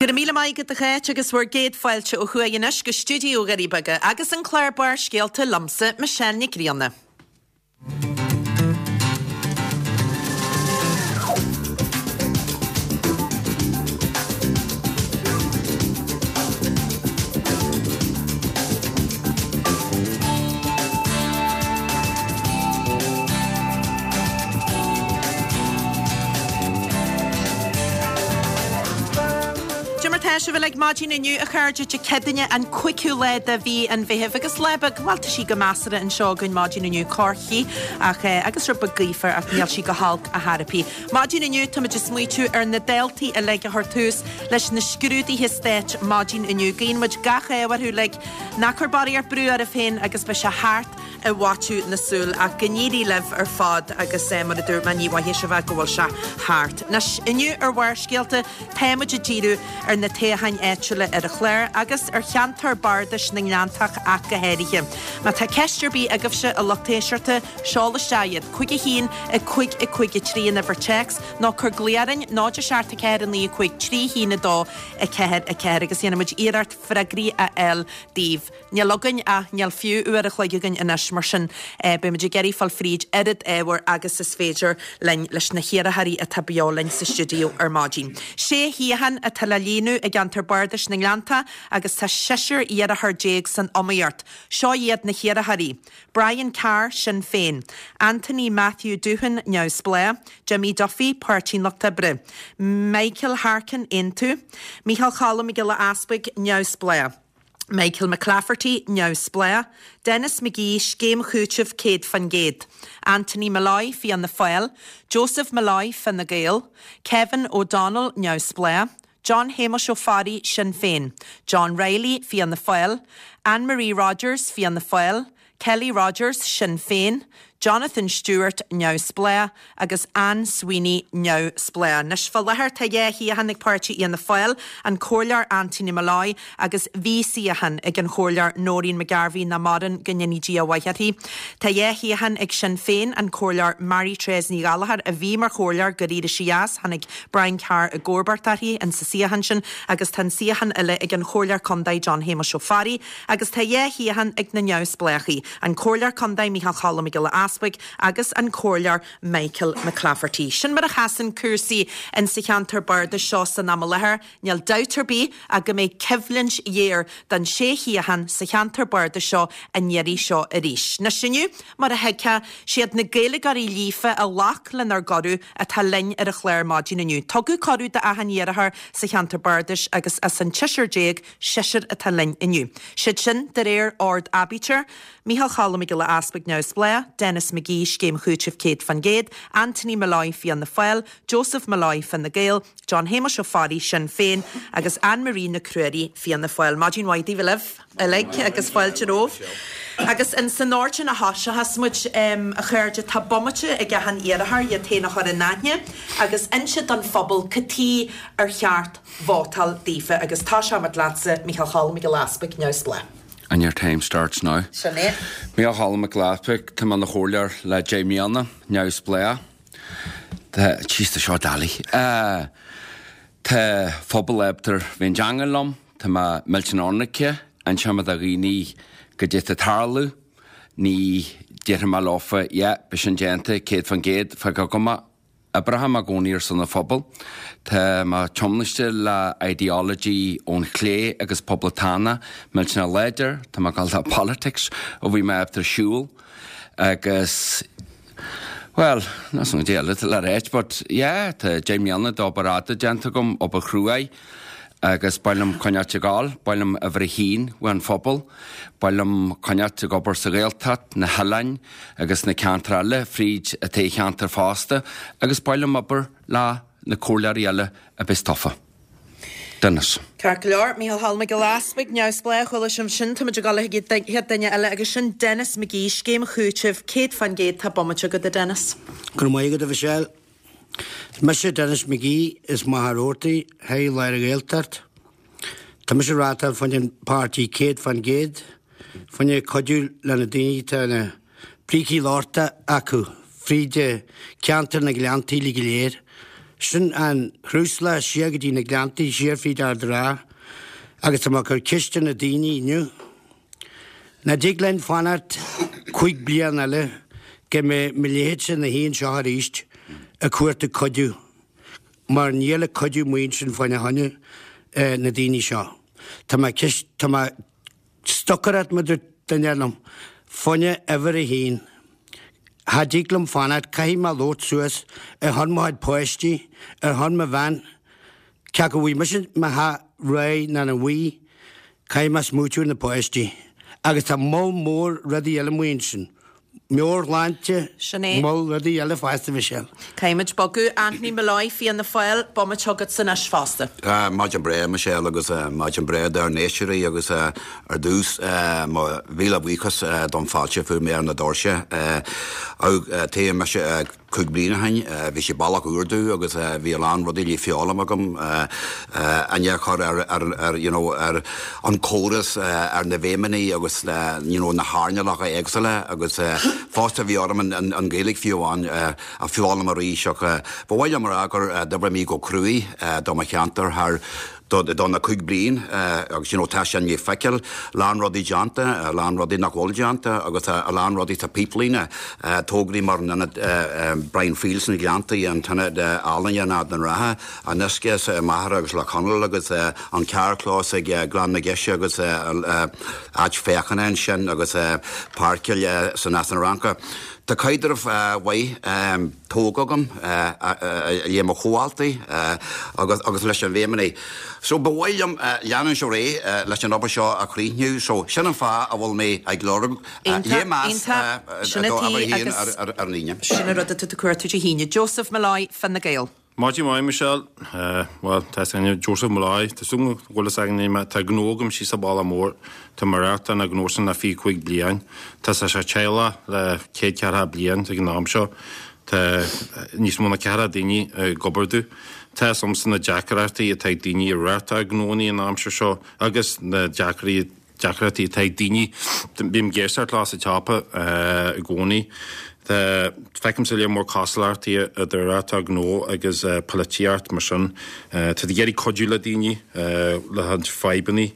Go raibh míle maith agat a Cháit agus bhur gcéad fáilte ó thuaidh anois go stiúideo Dhoirí Beaga agus an clár Barrscéalta liomsa, Michelle Nic Grianna. Cad é mar tá sibh uilig maidin inniu, a chairde, Dé Céadaoine an 5ú lá de mhí an Mheithimh agus lá beag, bhuel tá sí go measartha anseo againn maidin inniu, corrchith ach eh agus rud beag gaofar ach níl sí go holc ar chor ar bith. Maidin inniu táimid ag smaoitiú ar na daltaí uilig a chuir tús leis na scrúduithe stáit maidin inniu. Guíonn muid gach ádh orthu uilig, ná cuir barraíocht brú oraibh féin agus beidh sé thart i bhfaiteadh na súl. Ach go n-éirí libh ar fad agus mar a dúirt mé ní mhoithfidh sibh go bhfuil sé thart. Anois, inniu ar Bharrscéalta tá muid ag díriú ar na toghcháin áitiúla ar an chlár agus ar cheantar bardais na nGleanntach ach go háirithe. Má tá ceist ar bith agaibhse a lucht éisteachta, seol isteach iad, 5 1 5 5 3 an uimhir téacs nó cuir glao orainn 0 7 4 9 5 3 1 2 4 4 agus dhéanfaidh muid iarracht freagraí a fháil daoibh. Níl againn ach níl fiú uair a chloig againn anois, mar sin beidh muid ag iarraidh fáil fríd oiread ábhair agus is féidir linn leis na hiarrthóirí atá beo linn sa stiúideo ar maidin. Sé shuíochán atá le líonadh i gceantar bardais na nGleanntach agus tá seisear iarrthóir déag san iomaíocht. Seo iad na hiarrthóirí, Brian Carr, Sinn Féin, Anthony Matthew Doohan, Neamhspleách, Jimmy Duffy, Páirtí an Lucht Oibre, Michael Harkin, Aontú, Micheál Choilm Mac Giolla Easpaig, Neamhspleách. Michael McClafferty, Neamhspleách, Denis McGee, Scéim Chúitimh 100%, Anthony Molloy, Fianna Fáil, Joseph Molloy, Fine Gael, Kevin O'Donnell, Neamhspleách, John Shéamuis Ó Fearraigh, Sinn Féin, John Reilly, Fianna Fáil, Anne Marie Rogers, Fianna Fáil, Kelly Rogers, Sinn Féin, Jonathan Stewart, Neamhspleách, agus Anne Sweeney, Neamhspleách. Anois fá láthair tá 2 shuíochán ag páirtí Fhianna Fáil, an Comhairleoir Anthony Molloy agus bhí suíochán ag an Chomhairleoir Noreen McGarvey nach maireann, go ndéanaí Dia a mhaith uirthi. Tá 2 shuíochán ag Sinn Féin, an Comhairleoir Mary Therese Ní Ghallchóir a bhí mar chomhairleoir gur éirigh sí as, tháinig Brian Carr i gcomharbacht uirthi in sa suíochán sin agus tá an suíochán eile ag an Chomhairleoir Contae John Shéamuis Ó Fearraigh Agus tá 2 shuíochán ag na neamhspleáchaí, an Comhairleoir Contae Micheál Choilm Mac Giolla Easpaig agus an Comhairleoir Michael McClafferty. Sin mar a sheasann cúrsaí in sa cheantar bardais seo san am i láthair. Níl dabht ar bith ach go mbeidh coimhlint ghéar don sé shuíochán sa cheantar bardais seo an iarraidh seo arís. Anois inniu, mar a thuigfeá, siad na Gaeilgeoirí líofa a ghlac lenár gcuireadh atá linn ar an chlár maidin inniu. Tugadh cuireadh d'achan iarrthóir sa cheantar bardais agus as an tseisear déag, Seisear atá linn inniu. Siad sin, de réir ord aibítir, Micheál Choilm Mac Giolla Easpaig, Neamhspleách, Denis McGee, Scéim Chúitimh 100%, Anthony Molloy, Fianna Fáil, Joseph Molloy, Fine Gael, John Shéamuis Ó Fearraigh, Sinn Féin, agus Anne Marie Nic Ruairí, Fianna Fáil. Maidin mhaith daoibh uilig. uilig agus fáilte romhaibh. Agus in san ord sin a thoiseochas muid, a chairde, tá bomaite ag achan iarrthóir iad féin a chur in aithne agus inse don phobal cad tuige ar cheart vótáil daofa agus tosóimid leatsa, Micheál Choilm Mac Giolla Easpaig, Neamhspleách. And your time starts now. Sin é. Micheál Choilm Mac Giolla Easpaig, tá mé ina chomhairleoir le 10 mbliana, neamhspleách. Tá, jeez, tá seo doiligh. Tá phobal ábalta bheith an teanga liom, tá mé millteanach ionraice, inseoidh mé do dhaoine goidé tá ag tarlú, ní déarfaidh mé leofa, yeah, beidh sin déanta, 100%, fág agam é. Oibreoidh mé i gcónaí ar son an phobail. Tá mé tiomnaiste le ideology ón chlé agus poblachtánach, millteanach láidir, tá mé ag dul le politics ó bhí mé ábalta siúl agus bhuel, níl 's agam goidé eile le ráit but yeah, tá 10 mbliana d'obair fhada déanta agam, obair chruaidh. Agus ba mhaith liom coinneáilt ag gabháil, ba mhaith liom uimhir a haon uaidh an phobal, ba mhaith liom coinneáilt ag obair sa Ghaeltacht, na hoileáin agus na ceantair eile fríd an toghcheantar fosta agus ba mhaith liom obair le na comhairleoirí eile a bheas tofa. Denis. Ceart go leor, Micheál Choilm Mac Giolla Easpaig, neamhspleách, chuala sibh sin, táimid ag dul chuig an chéad duine eile agus sin Denis McGee, Scéim Chúitimh, 100% tá bomaite agat a Denis. Go raibh maith agat a Mhichelle. Is mise Denis McGee as Machaire Rabhartaigh, High Lár an Ghaeltacht. Tá mise ag rátáil fá choinne an páirtí 100% fá choinne cuidiú le na daoine atá na brící lochta acu fríd ceantar na Gleanntaí uilig go léir. Sin an Chraoslach siar go dtí na Gleanntaí siar fríd Ard an Rátha agus tá mé ag cur ceist ar na daoine inniu. Nach dtig linn fanacht chúig bliana eile go mbeidh mo leithéidse ina shuí anseo arís ag cuartú cuidiú mar níl an cuidiú amuigh ansin fá choinne na daoine seo. Tá mé ceist, tá mé stocaireacht mar a dúirt duine liom, fá choinne uimhir a haon. Cha dtig liom fanacht, caithfidh mé labhairt suas ar shon mo chuid páistí, ar shon mo bhean, cé acu bhfuil mise mo theach réidh nó nach bhfuil, caithfidh mé smaoitiú ar na páistí. Agus tá moll mór rudaí eile amuigh ansin. Meabhairshláinte, Sin é. moll rudaí eile fosta, Michelle. Caithfimid bogadh. Anthony Molloy, Fianna Fáil, bomaite agatsa anois fosta. Maidin breá, Michelle, agus maidin breá dár n-éisteoirí agus ar dtús mo mhíle buíochas don fáilte a fuair mé ar na doirse. Toghadh mise 5 bliana ó shin. Bhí sé bealach úr domh agus bhí a lán rudaí le foghlaim agam, aithne a chur ar ar you know ar an córas, ar na bhfeidhmeannaigh agus you know na hearnálacha éagsúla agus fosta bhí orm an Ghaeilge fiú amháin a foghlaim arís ach ba mhaith liom a rá gur d'oibrigh mé go cruaidh do mo cheantar thar do na 5 bliain agus you know tá sin le feiceáil, lán rudaí déanta, a lán rudaí nach bhfuil déanta agus a lán rudaí sa píplíne, tograí mar an ionad Brian Friel sna Gleanntaí, an t-ionad ealaíne in Ard an Rátha, an uisce sa Machaire agus Loch Chonaill agus an carrchlós ag Gleann na Geise agus áit féachana ansin agus páirceáil san Eas na Fhraince. Tá caidreamh mhaith. tógtha agam le mo chomhaltaí agus leis an bhfeidhmeannaigh. So ba mhaith liom leanúint ar aghaidh leis an obair seo a chríochnú. So sin an fáth a bhfuil mé ag lorg léirmheas do uimhir a haon ar an Aoine. Sin an rud atá tú ag cuartú Dé hAoine. Joseph Molloy, Fine Gael. Maidin mhaith, Michelle. Bhuel, tá fhios againne, Joseph Molloy, tá súil agam go bhfuil fhios againne mé, tá gnó agam síos sa Bhaile Mór, tá mé ag reáchtáil an gnó sin le 25 bliain. Tá sé sa teaghlach le céad ceathracha bliain ag an am seo. Tá níos mó ná ceathracha daoine ag obair domh. Tá fhios agamsa na deacrachtaí atá ag daoine ag reáchtáil gnóanna an aimsir seo agus na deacrachtaí deacrachtaí atá ag daoine. Bím ag éisteacht leo sa tsiopa i gcónaí. Feicimse lear mór cosúlachtaí idir reáchtáil gnó agus polaitíocht mar sin. Tá tú ag iarraidh cuidiú le daoine le roinnt fadhbanna,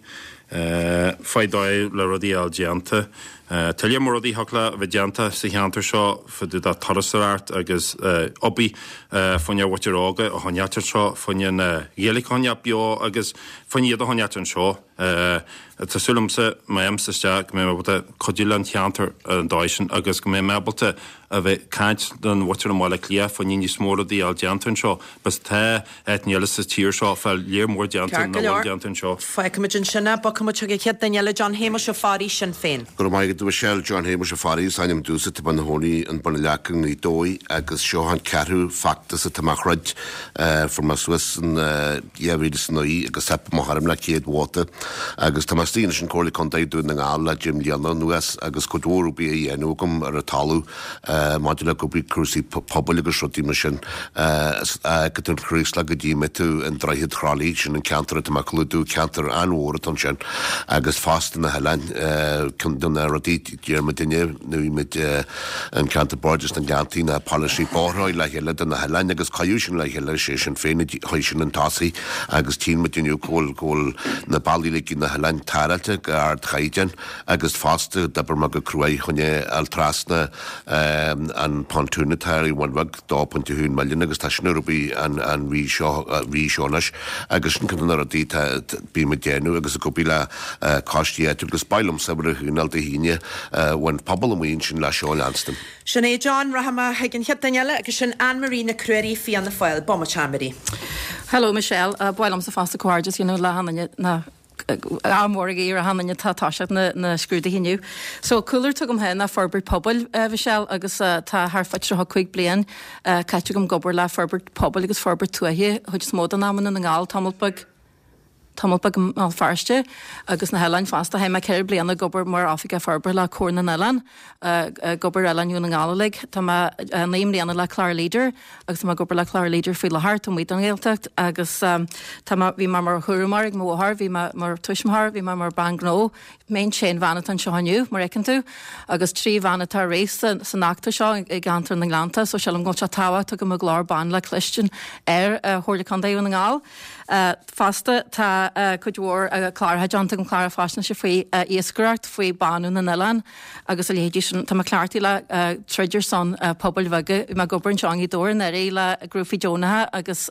faigh dóigh le rudaí a fháil déanta. Tá lear mór rudaí a thiocfadh le a bheith déanta sa cheantar seo fá dtaobh de turasóireacht agus obair fá choinne an mhuintir óga a choinneáilt anseo, fá choinne na Gaeilge a choinneáilt beo agus fá choinne iad a choinneáilt anseo. Tá súil agamsa, má théimse isteach, go mbeidh mé ábalta cuidiú le an cheantar ar an dóigh sin agus go mbeidh mé ábalta a bheith ag caint don mhuintir i mBaile Átha Cliath fá choinne níos mó rudaí a fháil déanta anseo. Because tá áiteanna eile sa tír seo fá lear mór déanta Ceart go nach bhfuil leor. déanta anseo. Fágfaimid ansin é. Bogfaimid chuig an chéad duine eile, John Shéamuis Ó Fearraigh, Sinn Féin. Go raibh maith agat, a Mhichelle. John Shéamuis Ó Fearraigh is ainm domhsa, tá mé ina chónaí in Bun an Leaca i nGaoth Dobhair agus seo an ceathrú feachtas atá mé a throid. Fuair mé suas in. 2009 agus theip mo ghairm le chéad vóta agus tá mé istigh anois in Comhairle Contae Dún na nGall le deich mbliana anuas agus cuid mhór obair á dhéanamh agam ar an talamh maidir le obair cúrsaí pobail agus rudaí mar sin. Go an Chraoslach go dtí mé an Droichead Chroithlí, sin an ceantar atá mé ag clúdú, ceantar an-mhór atá ansin agus fosta na hoileáin, ceann de na rudaí a deir muidinne nuair a bhí muid an ceantar Bardais na nGleanntaí ná polasaí bóithre le chéile do na hoileáin agus cuireadh sin le chéile sé Sinn Féin a chuir sin chun tosaigh agus tchíonn muid inniu go bhfuil go bhfuil na bealaí uilig na hoileáin tarráilte go ardchaighdeán agus fosta d'oibir mé go cruaidh chun é a fháil trasna an pontoon atá ar an Bhun Bheag 2.1 milliún agus tá sin ar obair an an mhí seo mhí seo anois agus sin ceann de na rudaí atá bím ag déanamh agus ag obair le coistí áitiúil agus ba mhaith liomsa uimhir a haon a fháil Dé hAoine ón phobal amuigh ansin le seo a leanstan. Sin é John, rachaidh mé chuig an chéad duine eile agus sin Anne Marie Nic Ruairí, Fianna Fáil. Bomaite Anne Marie. Hello Michelle, ba mhaith liomsa fosta comhghairdeas a dhéanamh le achan duine ná ádh mór a ghuí ar achan duine atá ag toiseacht na na scrúduithe inniu. So cúlra atá agam féin ná forbairt pobail Michelle agus tá thart fá 35 bliain caite agam ag obair le forbairt pobail agus forbairt tuaithe chuid is mó den am i nDún na nGall tamall beag. tamall beag i mBéal Feirste agus na hoileáin fosta. Chaith mé 4 bliana ag obair mar Oifigeach Forbartha le Comhar na nOileán, ag obair ar Oileáin Dhún na nGall uilig. Tá mé 9 mbliana le Clár Leader agus tá mé ag obair le Clár Leader faoi láthair, taobh amuigh den Ghaeltacht agus tá mé, bhí mé mar chúramóir ag mo mháthair, bhí mé mar tuismitheoir, bhí mé mar bean gnó. Mé an t-aon bhean atá anseo inniu, mar a fheiceann tú, agus 3 bhean atá ag rith san fheachtas seo i gceantar na nGleannta, so sílim go bhfuil sé tábhachtach go mbeadh glór ban le cloistin ar Chomhairle Contae Dhún na nGall. Fosta, tá cuid mhór cláracha déanta agam, cláracha faisnéise faoi iascaireacht, faoi bánú na n-oileán agus a leithéidí sin. Tá mé cleachtaithe le troid ar son pobail bheaga. Bhí mé ag obair anseo i nGaoth Dobhair anuraidh le grúpaí deonacha agus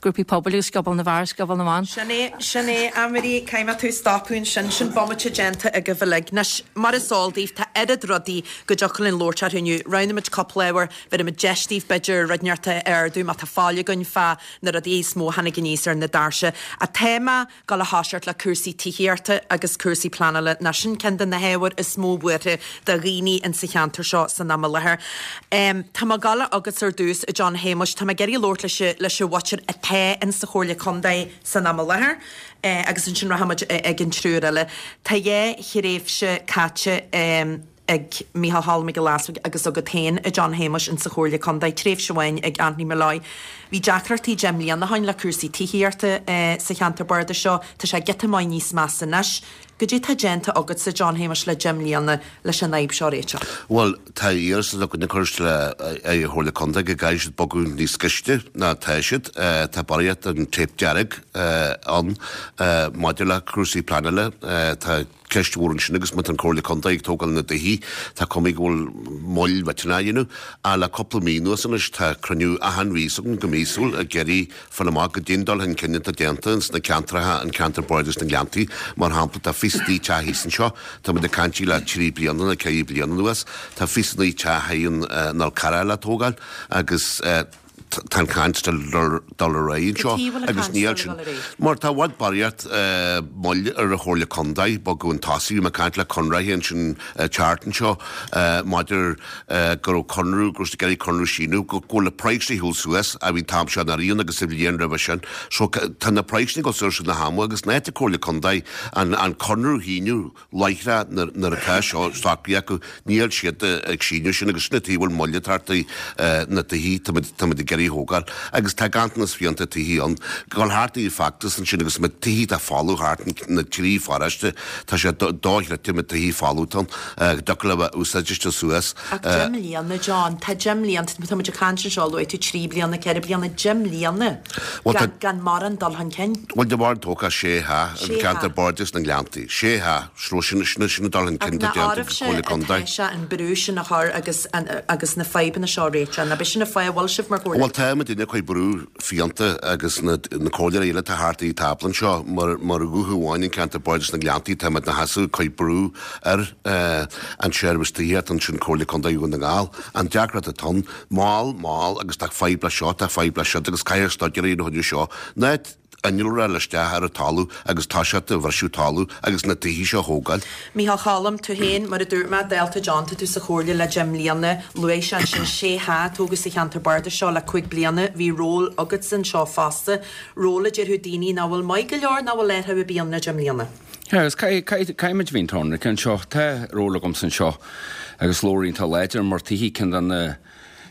grúpaí pobail agus Scioból na bhFear, Scioból na mBan. Sin é, sin é, Anne-Marie, caithfidh mé tú a stopadh ansin. Sin bomaite déanta agaibh uilig. Anois, mar is eol daoibh, tá oiread rudaí go dtiocfadh linn labhairt orthu inniu. Roghnaímid cúpla ábhar, bhéarfaimid deis daoibh, b'fhéidir, rud inteacht a ardú má tá fáil againn fá na rudaí is mó a tháinig aníos ar na doirse. Ach tá mé ag gabháil a thoiseacht le cúrsaí tithíochta agus cúrsaí pleanála, nó sin ceann de na hábhair is mó buartha do dhaoine in sa cheantar seo san am i láthair. Tá mé ag gabháil chugatsa ar dtús, a John Shéamuis, tá mé ag iarraidh labhairt leis leis an mhuintir atá in sa Chomhairle Contae san am i láthair agus ansin rachaimid ag an triúr eile. Tá dhá thréimhse caite. ag Micheál Choilm Mac Giolla Easbuig agus agat féin, a John Shéamuis, in sa Chomhairle Contae, tréimhse amháin ag Anthony Molloy. Bhí deacrachtaí 10 mbliana ó shoin le cúrsaí tithíochta sa cheantar bardais seo. Tá sé giota maith níos measa anois. Goidé tá déanta agatsa, John Shéamuis, le 10 mbliana leis an fhadhb seo a réiteach? Bhuel, tá iarratas againn ag cur le an Chomhairle Contae go gcaithfidh siad bogadh níos gaiste ná atá siad. Tá barraíocht den téip dearg ann maidir le cúrsaí pleanála. Tá. Ceist mhór ansin agus má tá an Comhairle Contae ag tógáil na dtithe, tá cuma go bhfuil moill mhillteanach á dhéanamh. Ach le cúpla mí anuas anois tá cruinniú achan mhí s'againn go míosúil ag iarraidh fáil amach goidé an dul chun cinn atá déanta ins na ceantracha, an ceantar bardais na nGleanntaí mar shampla. Tá 29 teach thíos anseo, tá muid ag caint le trí bliana nó ceithre bliana anuas. Tá 29 teach thíos in an Fhál Carrach le tógáil agus. tá an chaint still dul ar aghaidh anseo agus níl sin mar tá i bhfad barraíocht moill ar an Chomhairle Contae bogadh chun tosaigh. Bhí mé ag caint le Conraitheoir ansin an tseachtain seo maidir go raibh conradh, go raibh siad ag iarraidh conradh síniú, go bhfuil na praghsanna ar shiúl suas a bhí an t-am seo anuraidh agus sa bhliain roimhe sin. So tá na praghsanna ag dul suas na hama agus in áit an Chomhairle Contae an conradh a shíniú láithreach nuair atá seo socraithe acu, níl siad ag síniú sin agus sin an tuige a bhfuil moill ag teacht ar na tithe táimid ag iarraidh a thógáil agus tá ganntanas fiánta tithe ann. Dul thart i bhfeachtas ansin agus na tithe atá folamh thart na trí pharóiste, tá sé dochreidte na tithe folamh atá ann, go dtiocfadh leo a bheith úsáidte suas. Ach 10 mbliana, John, tá 10 mbliana, tá muid ag caint anseo, luaigh tú 3 bliana, 4 bliana, 10 mbliana gan mórán dul chun cinn. Bhuel, de bharr tógtha sé theach i gceantar Bardais na nGleanntaí. Sé theach, so sin, sin, sin an dul chun cinn atá déanta ag Comhairle Contae. Ach nach oraibhse atá sé an brú sin a chur agus, agus na fadhbanna seo a réiteach? Nach b'é sin an fáth a bhfuil sibh mar Chomhairle? Bhuel, tá muidinne ag cur brú fiánta agus na, na comhairleoirí eile atá thart ag an tábla anseo mar, mar ghuth amháin in ceantar Bardais na nGleanntaí, tá muid ina sheasamh ag cur brú ar an seirbhís tithíochta ansin Comhairle Contae Dhún na nGall. An deacracht atá ann, Mall, mall, agus tá fadhb leis seo, tá fadhb leis siúd, agus caithfear staidéar a dhéanamh chuige seo. Ná innealra a fháil isteach ar an talamh agus toiseacht ag bhriseadh talamh agus na tithe seo a thógáil. Micheál Choilm, tú féin, mar a dúirt mé, dálta John, tá tú sa Chomhairle le 10 mbliana, luaigh sé ansin sé theach a tógadh sa cheantar bardais seo le 5 bliana, bhí ról agatsa anseo fosta, ról a déarfadh daoine nach bhfuil maith go leor, nach bhfuil athrú ar bith ann le 10 mbliana. Yeah, agus caithfidh muid a bheith ionraic anseo. Tá ról agamsa anseo agus labhraíonn tú láidir mar tithe ceann de na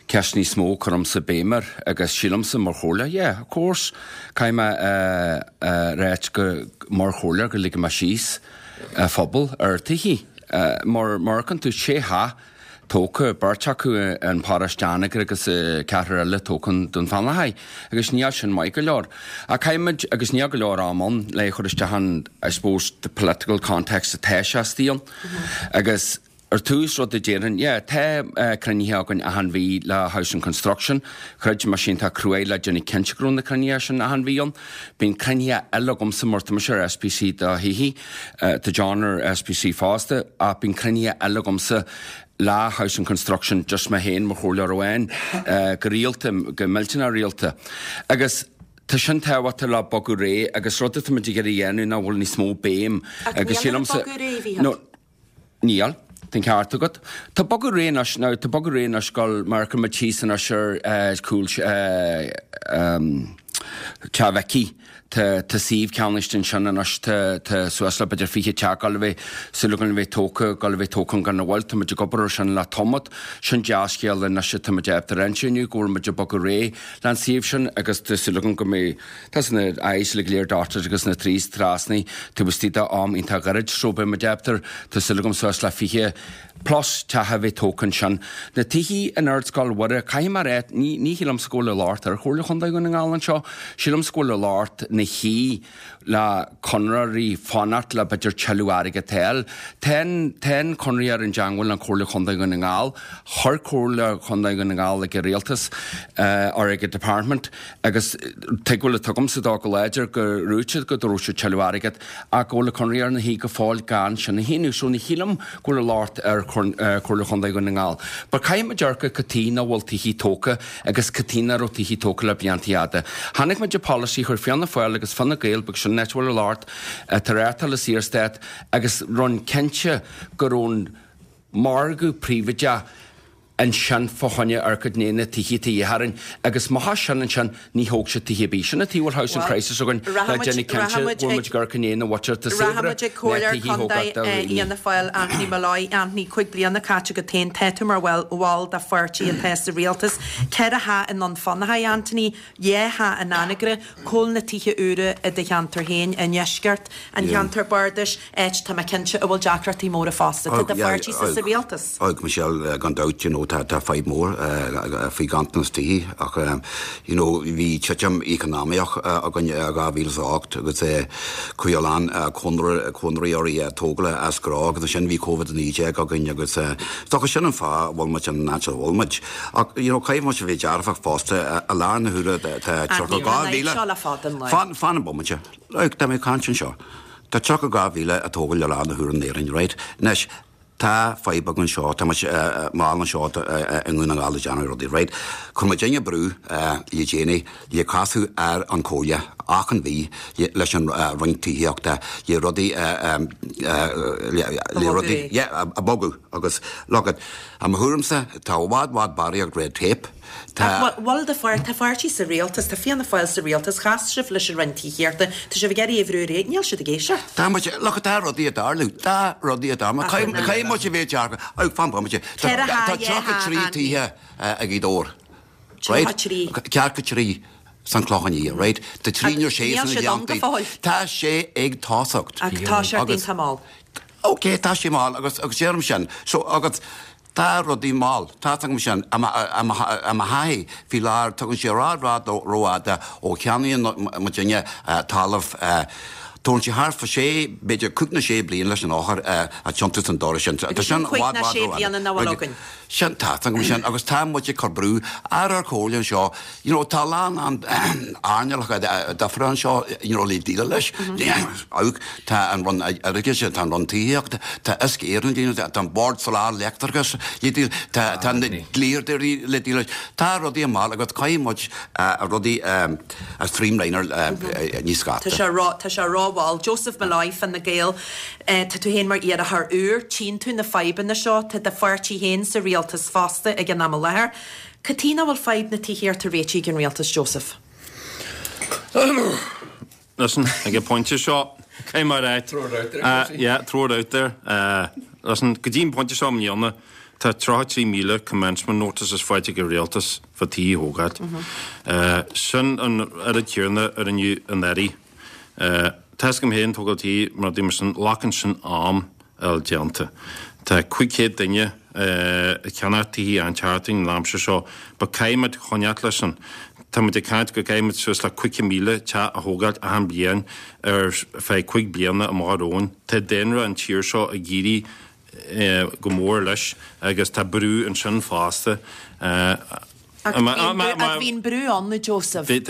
ceisteanna is mó a cuirimse béim air agus sílimse mar chomhairleoir, yeah, of course, caithfidh mé a ráit go mar chomhairleoir go ligfidh mé síos an phobal ar tithe. Mar mar a fheiceann tú sé theach tógtha, beirt acu in paróiste Anagaire agus ceathrar eile tógtha in Dún Fionnachaidh agus níl sin maith go leor. Ach caithfimid, agus níl go leor am ann le chur isteach an, I suppose, the political context atá sé istigh ann. Agus ar tús rud a déarfainn, yeah, tá cruinnithe againn achan mhí le Housing Construction, throid mise iontach cruaidh le déanamh cinnte go raibh na cruinnithe sin achan mhí ann. Bíonn cruinnithe eile agamsa mar tá mise ar SPC do thithe, Tá John ar SPC fosta ach bíonn cruinnithe eile agamsa le Housing Construction just mé féin mar chomhairleoir amháin go rialta, go millteanach rialta. Agus tá sin tábhachtach le bogadh ar aghaidh agus rud atá muid ag iarraidh a dhéanamh ná bhfuil níos mó béim agus sílimse Ach níl bogadh ar aghaidh, a Mhícheáil. Níl. Tá an ceart agat. Tá bogadh ar aghaidh anois, now tá bogadh ar aghaidh anois go mar a muid thíos anois ar cúl. Teach Mhicí. Tá tá suíomh ceannaithe ansin anois, tá tá suas le b'fhéidir 20 teach ag dul a bheith, súil againn a bheith tógtha, ag dul a bheith tógtha gan mhoill. Tá muid ag obair ar sin le tamall. Sin dea-scéal anois atá muid ábalta a roinnt inniu go bhfuil muid ag bogadh ar aghaidh leis an suíomh sin agus tá súil againn go mbeidh, tá na I's uilig go léir dotted agus na T's trasnaithe taobh istigh de am iontach gairid so beidh muid ábalta, tá súil agam suas le 20 plus teach a bheith tógtha ansin. Na tithe in Ardscoil Mhuire, caithfidh mé a rá, ní, ní shílimse go bhfuil an locht ar Chomhairle Chontae Dhún na nGall anseo, sílimse go bhfuil an locht ina shuí le conraitheoirí fanacht le b'fhéidir tuilleadh airgead a fháil. Tá an, tá an conraitheoir i dteangmháil le Comhairle Chontae Dhún na nGall, chuir Comhairle Chontae Dhún na nGall ag an Rialtas, or ag an Department, agus tuigbheáil atá agamsa dó go láidir go raibh siad go raibh siad tuilleadh airgead ach go bhfuil an conraitheoir ina shuí go fóill gan sin a shíniú. So ní shílim go bhfuil an locht ar Chomhairle Chontae Dhún na nGall. But caithfidh muid amharc ar cad chuige nach bhfuil tithe tógtha agus cad chuige nach raibh tithe tógtha le blianta fhada. Chonaic muid an polasaí chuir Fianna Fáil agus Fine Gael because sin an áit a bhfuil an locht atá reáchtáil i Saorstát agus rinne cinnte go raibh an margadh príobháideach ansin fá choinne amharc i ndiaidh na tithe atá de dhíth orainn agus má tá sin ansin ní thóg siad tithe ar bith. Sin an taobh a bhfuil housing crisis againn le déanamh cinnte go bhfuil muid ag amharc i ndiaidh na mhuintir atá saibhre ná Rachaimid ag tithe Comhairleoir a thógáil Contae do dhaoine. Fhianna Fáil Anthony Molloy, Anthony, 5 bliana caite agat féin, tá tú mar bhall bhall de pháirtí atá sa rialtas. Ceithre theach i nDún Fionnachaidh, Anthony, dhá theach in Anagaire, cá bhfuil na tithe úra i do cheantar féin i ndeisceart an cheantair bardais, áit, tá mé cinnte, a bhfuil deacrachtaí móra fosta. Tá do pháirtísa sa rialtas. Ag Michelle, gan dabht, you know, tá tá fadhb mór faoi ghanntanas tithe ach you know, bhí titim eacnamaíoch againn i 2008 agus chuaigh a lán conraitheoirí tógála as gnó agus ansin bhí Covid-19 againn agus is dócha sin an fáth a bhfuil muid in áit a bhfuil muid. Ach you know, caithfidh muid a bheith dearfach fosta i láthair na huaire tá 32,000 Fan fan bomaite. Look, tá mé ag caint anseo. Tá 32,000 á dtógáil i láthair na huaire in Éirinn, right? Anois, tá fadhb againn anseo, tá muid mall anseo i nDún na nGall ag déanamh rudaí, right? Chuir muidinne brú le déanaí le casadh ar an Chomhairle achan mhí leis an Roinn Tithíochta le rudaí, le rudaí, yeah, a bogadh agus look, i mo thuairimse, tá i bhfad, bhfad barraíocht red tape. Tá. Ach bhuel, tá pháirtí sa rialtas, tá Fianna Fáil sa rialtas, chas sibh leis an Roinn Tithíochta, tá sibh ag iarraidh é a bhrú ar aghaidh, níl siad ag éisteacht. Tá muid, look, tá rudaí ag tarlú, tá rudaí ag tarlú, caithfidh muid a bheith dearfach, oh, fan bomaite, tá 33 tithe i Gaoth Dobhair, right? 33 san Clochán Liath, right? Tá 36 sna Gleanntaí. Tá sé ag tosacht. Ach tá sé iontach mall. Ok, tá sé mall agus deirim sin, so agus Tá rudaí mall, tá's agam sin, i mo thaithí faoi láthair tugann sé i bhfad rófhada ó cheannaíonn muidinne talamh. Tógann sé thart fá sé, b'fhéidir cúig nó sé bliain leis an eochair a thiontú san doras sin. Tá sin i bhfad, bhfad rófhada. Sin, tá's agam sin agus tá muid ag cur brú ar ár comhairle anseo. You know, tá a lán earnálacha difriúla anseo, you know, le déileáil leis. Amharc, tá an Roinn Oideachais, tá an Roinn Tithíochta, tá Uisce Éireann le déileáil, tá an Bord Soláthair Leictreachais le déileáil, tá tá na dlíodóirí le déileáil leis. Tá rudaí mall agus caithfidh muid rudaí a streamlineáil níos gasta. Tá sé ró, tá sé rómhall. Joseph Molloy, Fine Gael, tá tú féin mar iarrthóir úr, tchíonn tú na fadhbanna seo, tá do pháirtí féin sa rialtas fosta ag an am i láthair. Cad chuige nach bhfuil fadhb na tithíochta réitithe ag an rialtas, Joseph? Listen, ag an bpointe seo, caithfidh mé a rá. Throw it out there, Josie. Yeah, throw it out there. Listen, go dtí an pointe seo i mbliana, tá 33,000 commencement notices faighte ag an rialtas fá tithe a thógáil. Sin an oiread céanna a rinneadh anuraidh. Tá 'fhios agam féin, tógáil tí, rudaí mar sin, glacann sin am. a fháil déanta. Tá 500 duine ag ceannach tithe an tseachtain an aimsir seo but caithfidh muid coinneáilt leis sin. Tá muid ag caint go gcaithfidh muid suas le 50,000 teach a thógáilt achan bliain ar feadh 5 bliana amach romhainn. Tá daonra an tír seo ag éirí go mór leis agus tá brú ansin fosta. Ach bhí an brú ann, a Joseph, le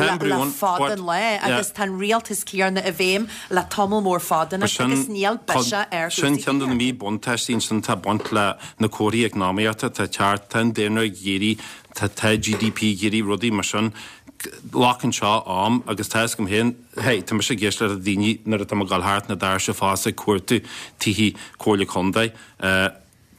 fada an lá agus tá an rialtas céanna i bhfeidhm le tamall mór fada anois agus níl biseach ar chúrsaí Sin ceann de na míbhuntáistí ansin atá ag baint le na comharthaí eacnamaíochta atá ag teacht, tá an daonra ag éirí, tá GDP ag éirí, rudaí mar sin. Glacann seo am agus tá 'fhios agam féin, hey, tá mise ag éisteacht le daoine nuair atá mé ag dul thart na doirse fosta ag cuartú tithe Comhairle Contae.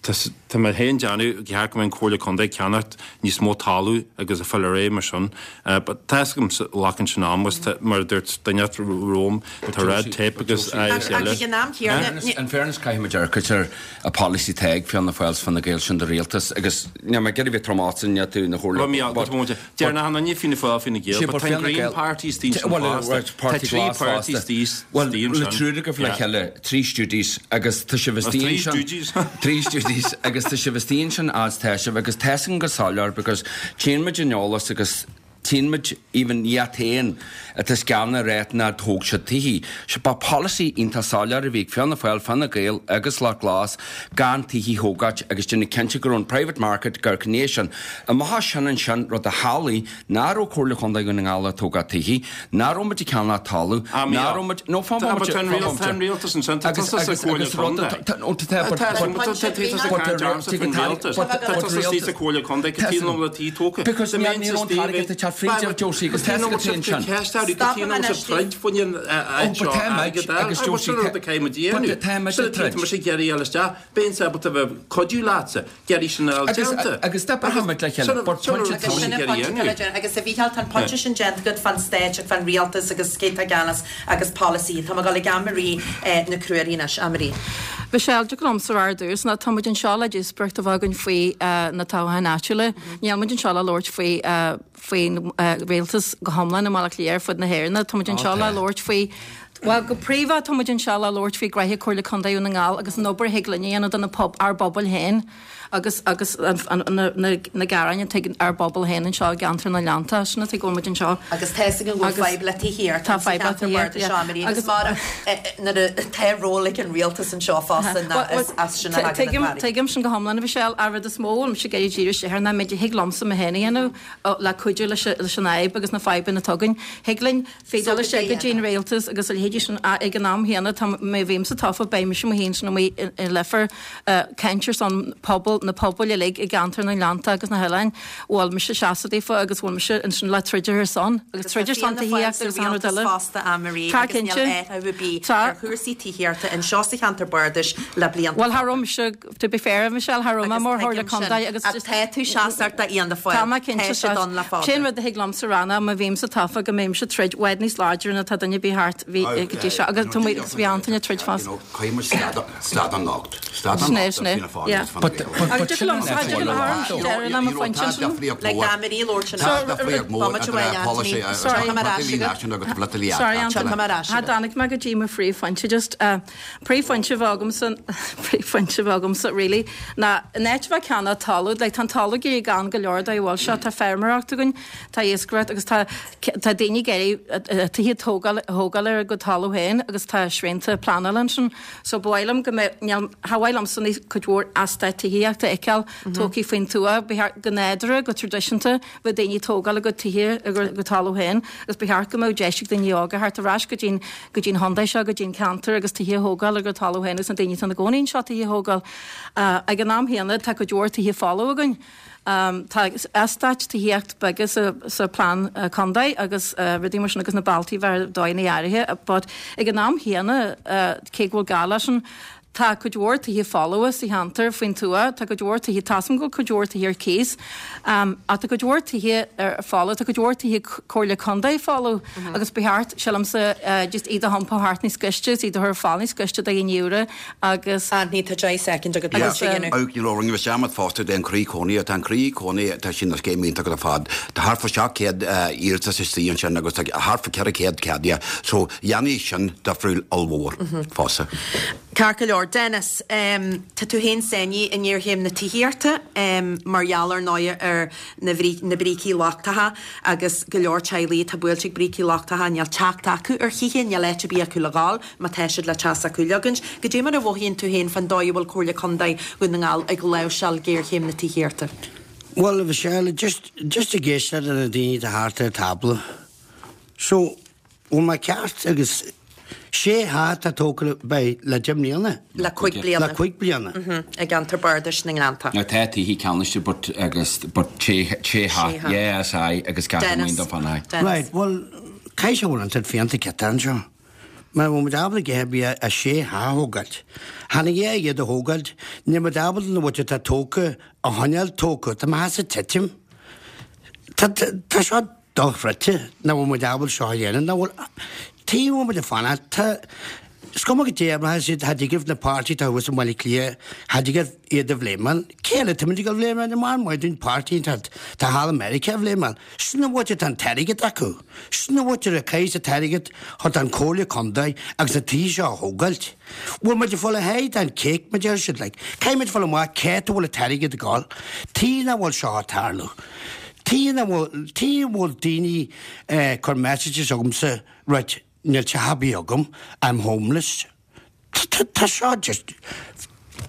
Tá mé féin ag déanamh go cheart go mbeadh an Comhairle Contae ag ceannacht níos mó talamh agus ag fáil ar aghaidh mar sin. But tá fhios agam glacann sin am agus mar a dúirt duine romham tá red tape agus agus eile. Ach ag an am céanna. In fairness caithfidh muid amharc ar an policy atá ag Fianna Fáil 's Fine Gael sin do rialtas agus níl mé ag iarraidh bheith trom ortsa níl tú ina chomhairleoir but Deir nach ionann Fianna Fáil Fine Gael, but tá an Green Party istigh ansin fosta. Tá 3 páirtí istigh ansin. Bhuel, le triúr agaibh le chéile, 3 Stooges, agus tá sibh istigh ansin. 3 Stooges, agus tá sibh istigh ansin as tá sibh, agus tá fhios agam go soiléir because tchíonn muid an eolas agus tchíonn muid even iad féin atá os cionn a rét nár thóg siad tithe. Sea, ba polasaí iontach soiléir a bhí ag Fianna Fáil, Fine Gael agus Lucht Glas gan tithe thógáit agus déanamh cinnte go raibh an private market ag amharc i ndiaidh sin. Amach as sin ansin, rud a chiallaigh nach raibh Comhairle Chontae Dhún na nGall ag tógáil tithe, nach raibh muid ag ceannach talamh, nach raibh muid, no, fan bomaite, fan bomaite. Tá an rialtas ansin, tá tusa sa Chomhairle Contae. Tá, no, tá, tá, but, but, tá tusa ag caint ormsa faoin rialtas. Tá tusa istigh sa Chomhairle Contae, cad chuige nach bhfuil tithe tógtha? Because níl níl an t-airgead ag teacht fríd, Josie, agus tá fhios agat féin sin. Ceist air, cad chuige nach bhfuil sibh troid faoin áit seo airgead a fháil? Agus sin an rud a caithfidh muid a dhéanamh. Tá muid ag troid. Tá mise ag iarraidh a fháil isteach, beinnse ábalta bheith cuidiú leatsa. iarraidh sin a fháil déanta. Agus d'oibrigh muid le chéile. But pointe Agus sin an pointe atá le déanamh. Agus a Mhícheáil, tá an pointe sin déanta agat fán Stát agus fán rialtas agus cé atá i gceannas agus polasaí. Tá mé ag dul ag Anne-Marie Nic Ruairí anois. Anne-Marie. Michelle, dtig liomsa a rá ar dtús ná tá muid anseo le díospóireacht a bheith againn faoi na toghcháin áitiúla. Níl muid anseo le labhairt faoi faoin rialtas go hiomlán i mBaile Átha Cliath ar fud na hÉireann. Tá muid anseo le labhairt faoi Bhuel, go príomha tá muid anseo le labhairt faoi ghnoithe Comhairle Contae Dhún na nGall agus an obair a thig linn a dhéanamh do na ár bpobail féin agus agus na na gearáin atá ag ár bpobal féin anseo i gceantar na nGleannta. Sin an tuige go bhfuil muid anseo. Agus tá fhios againn go bhfuil fadhb le tithíocht Tá fadhb le tithíocht, yeah. Anne-Marie agus mar nuair atá ról ag an rialtas anseo fosta ná is as sin a thagann na Tuigim tuigim sin go hiomlán a Mhichelle. An rud is mó a bhfuil mise ag iarraidh díriú isteach air ná an méid a thig liomsa mé féin a dhéanamh le cuidiú leis an fhadhb agus na fadhbanna atá againn. Thig linn feedal isteach go dtí an rialtas agus a leithéidí sin ach ag an am chéanna tá má bhímse tofa beidh mise mo féin sin amuigh i Leifear ag caint ar son pobal na pobail uilig i gceantar na nGleannta agus na hoileáin bhfuil mise seasta daofa agus bhfuil mise ansin le troid ar a son agus troid ar son tithíochta agus an rud eile. fosta Anne-Marie agus níl athrú ar bith ar chúrsaí tithíochta anseo sa cheantar bardais le blianta Bhuel, cha raibh mise To be fair, Michelle, cha raibh mé mar Chomhairle Contae agus Ach tá tú seasmhach d'Fhianna Fáil. Tá mé cinnte Tá siad ann le fada. Sé an rud a thig liomsa a rá ná má bhímse tofa go mbeinnse ag troid i bhfad níos láidre ná tá duine ar bith thart bhí go dtí seo agus tá muid agus bhí Antaine ag troid fosta. Caithfidh muid stad an locht. Stad an Sin é, locht sin é. Fianna Fáil Yeah. agus Fine But Gael. but Agus but dtig sin an liomsa, dtig liom fáil. deireadh le mo phointe ansin. Le Anne-Marie labhairt Tá ansin. difríocht mhór Bomaite idir uaidh, polasaí Anthony. Sorry. Tiocfaidh mé ar ais agat. náisiúnta agus polaitiúil Sorry, áitiúla. Anthony. Tiocfaidh mé ar ais Cha agat. dtáinig mé go dtí mo phríomhphointe just. Príomhphointe a bheadh agamsa, príomhphointe a bheadh agamsa really ná in áit a bheith ag ceannach talamh, like tá an talamh ag éirí gann go leor dóigh a bhfuil seo, tá feirmeoireacht againn, tá iascaireacht agus tá tá daoine ag iarraidh tithe a tógáil a thógáil ar a gcuid talamh féin agus tá srianta pleanála ansin. So ba mhaith liom go mbeadh, níl, cha mhaith liomsa níos cuid mhór eastát tithíochta a fheiceáil tógtha faoin tuath, ba cheart go nádúrtha, go traidisiúnta, Bheadh daoine ag tógáil a gcuid tithe ar a gcuid talamh féin agus ba cheart go mbeadh deis ag daoine óga theacht ar ais go dtí go dtí an chontae seo, go dtí an ceantar agus tithe a thógáil ar a gcuid talamh féin agus na daoine atá ina gcónaí anseo tithe a thógáil. Ag an am chéanna tá cuid mhór tithe folamh againn. Tá eastáit tithíocht beaga sa sa plean contae agus rudaí mar sin agus na bealtaí bheith ar dóigheanna áirithe but ag an am chéanna cé go bhfuil gá leis sin Tá cuid mhór tithe folmha sa cheantar faoin tuath, tá cuid mhór tithe, tá 'fhios a'm go bhfuil cuid mhór tithe ar cíos, ach tá cuid mhór tithe ar folamh, tá cuid mhór tithe Comhairle Contae folamh agus ba cheart, sílimse, just iad a iompú thart níos gaiste agus iad a chur ar fáil níos gaiste do dhaoine úra agus. Anthony, tá 10 soicind agat Yeah, le dhéanamh. Ach you know, rinne mé dearmad fosta den croí cónaí, tá an croí cónaí, tá sin ina scéim iontach ar fad. Tá thart fá 700 iarratas istigh ansin agus tá thart fá 400 ceadaithe. So, dhéanfaidh sin difriúil ollmhór fosta. Ceart go leor. Dennis, tá tú féin sáinnithe i ngéarchéim na tithíochta mar gheall ar ndóigh ar na na brící lochtacha agus go leor teaghlaigh atá buailte ag brící lochtacha, níl teacht acu ar thithe, níl áit ar bith acu le dhul má tá siad le teach s'acu a leagaint. Goidé mar a mhothaíonn tú féin fán dóigh a bhfuil Comhairle Contae Dhún na nGall ag láimhseáil géarchéim na tithíochta? Bhuel, a Mhichelle, just just ag éisteacht le na daoine atá thart ar tábla. So, bhfuil mé ceart agus sé theach atá tógtha beidh le 10 mbliana. Le cuig bliana. Le cuig bliana. I gceantar bardais na nGleannta. Now tá tithe ceannaiste but agus but sé sé theach yeah is aye agus ceapaim Dennis. do fan aye. Dennis. Right, bhuel, caithfidh sé bhfuil an tId Fianta ciotá anseo. Mara bhfuil muid ábalta a dhath ar bith a sé theach a thógáilt. Chan ag é iad a thógáilt, níl muid ábalta na bhfuil atá tógtha a choinneáil tógtha, tá mo theachsa ag titim. Tá, tá seo dochreidte nach bhfuil muid ábalta seo a dhéanamh, nach bhfuil, tuige a bhfuil muid ag fanacht, tá, is cuma goidé mar atá siad, cha dtig libh na páirtí atá thuas i mBaile Átha Cliath, cha dtig libh iad a bhléimeáil. Cé eile atá muid ag dul a bhléimeáil? Ní maith maith dúinn páirtí atá thall i Meiriceá a bhléimeáil. Sin an mhuintir atá an t-airgead acu. Sin an mhuintir a chaith an t-airgead chun an Comhairle Contae agus na tithe seo a thógáilt. Bhfuil muid ag fáil a sháith den cake mar deir siad like. Caithfidh muid fáil amach cá háit a bhfuil an t-airgead ag dul. Tuige nach bhfuil seo ag tarlú. Tuige nach bhfuil, tuige a bhfuil daoine ag cur messages chugamsa right níl teach ar bith agam, I'm homeless. Tá seo just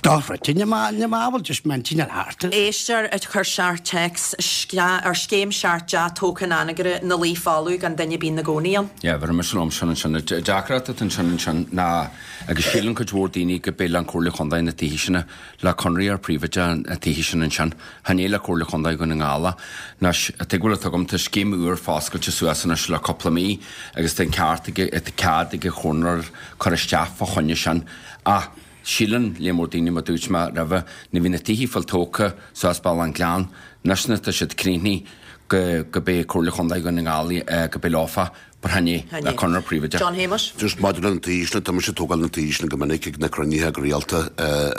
dochreidte. Níl mé ábalta just m'intinn a thart. Éisteoir ag cur seart téacs ar scéim seart dea tógtha in Anagaire 'na luí folamh gan duine ar bith 'na gcónaí ann. Yeah, bheir mise liom sin ansin. An deacracht atá ansin ansin ná, agus síleann cuid mhór daoine go b'é le an Comhairle Chontae na tithe sin, le conradh ar príobháideach na tithe sin ansin. Chan é le Comhairle Chontae Dhún na nGall. Anois, an tuigbheáil atá agam, tá scéim úr foscailte suas anois le cúpla mí agus tá an ceart ag, tá cead ag an chomhairleoir cur isteach fá choinne sin. Ach síleann léar mór daoine, mar dúirt mé roimhe, nuair bhí na tithe fáil tógtha suas Bealach an Gleann, anois nuair atá siad críochnaithe, go, go b'é Comhairle Chontae Dhún na nGall, go b'é leofa. But chan é, le conradh príobháideach. John Shéamuis. Just maidir le na tithe sin, tá mise ag tógáil na tithe sin go minic ag na cruinnithe go rialta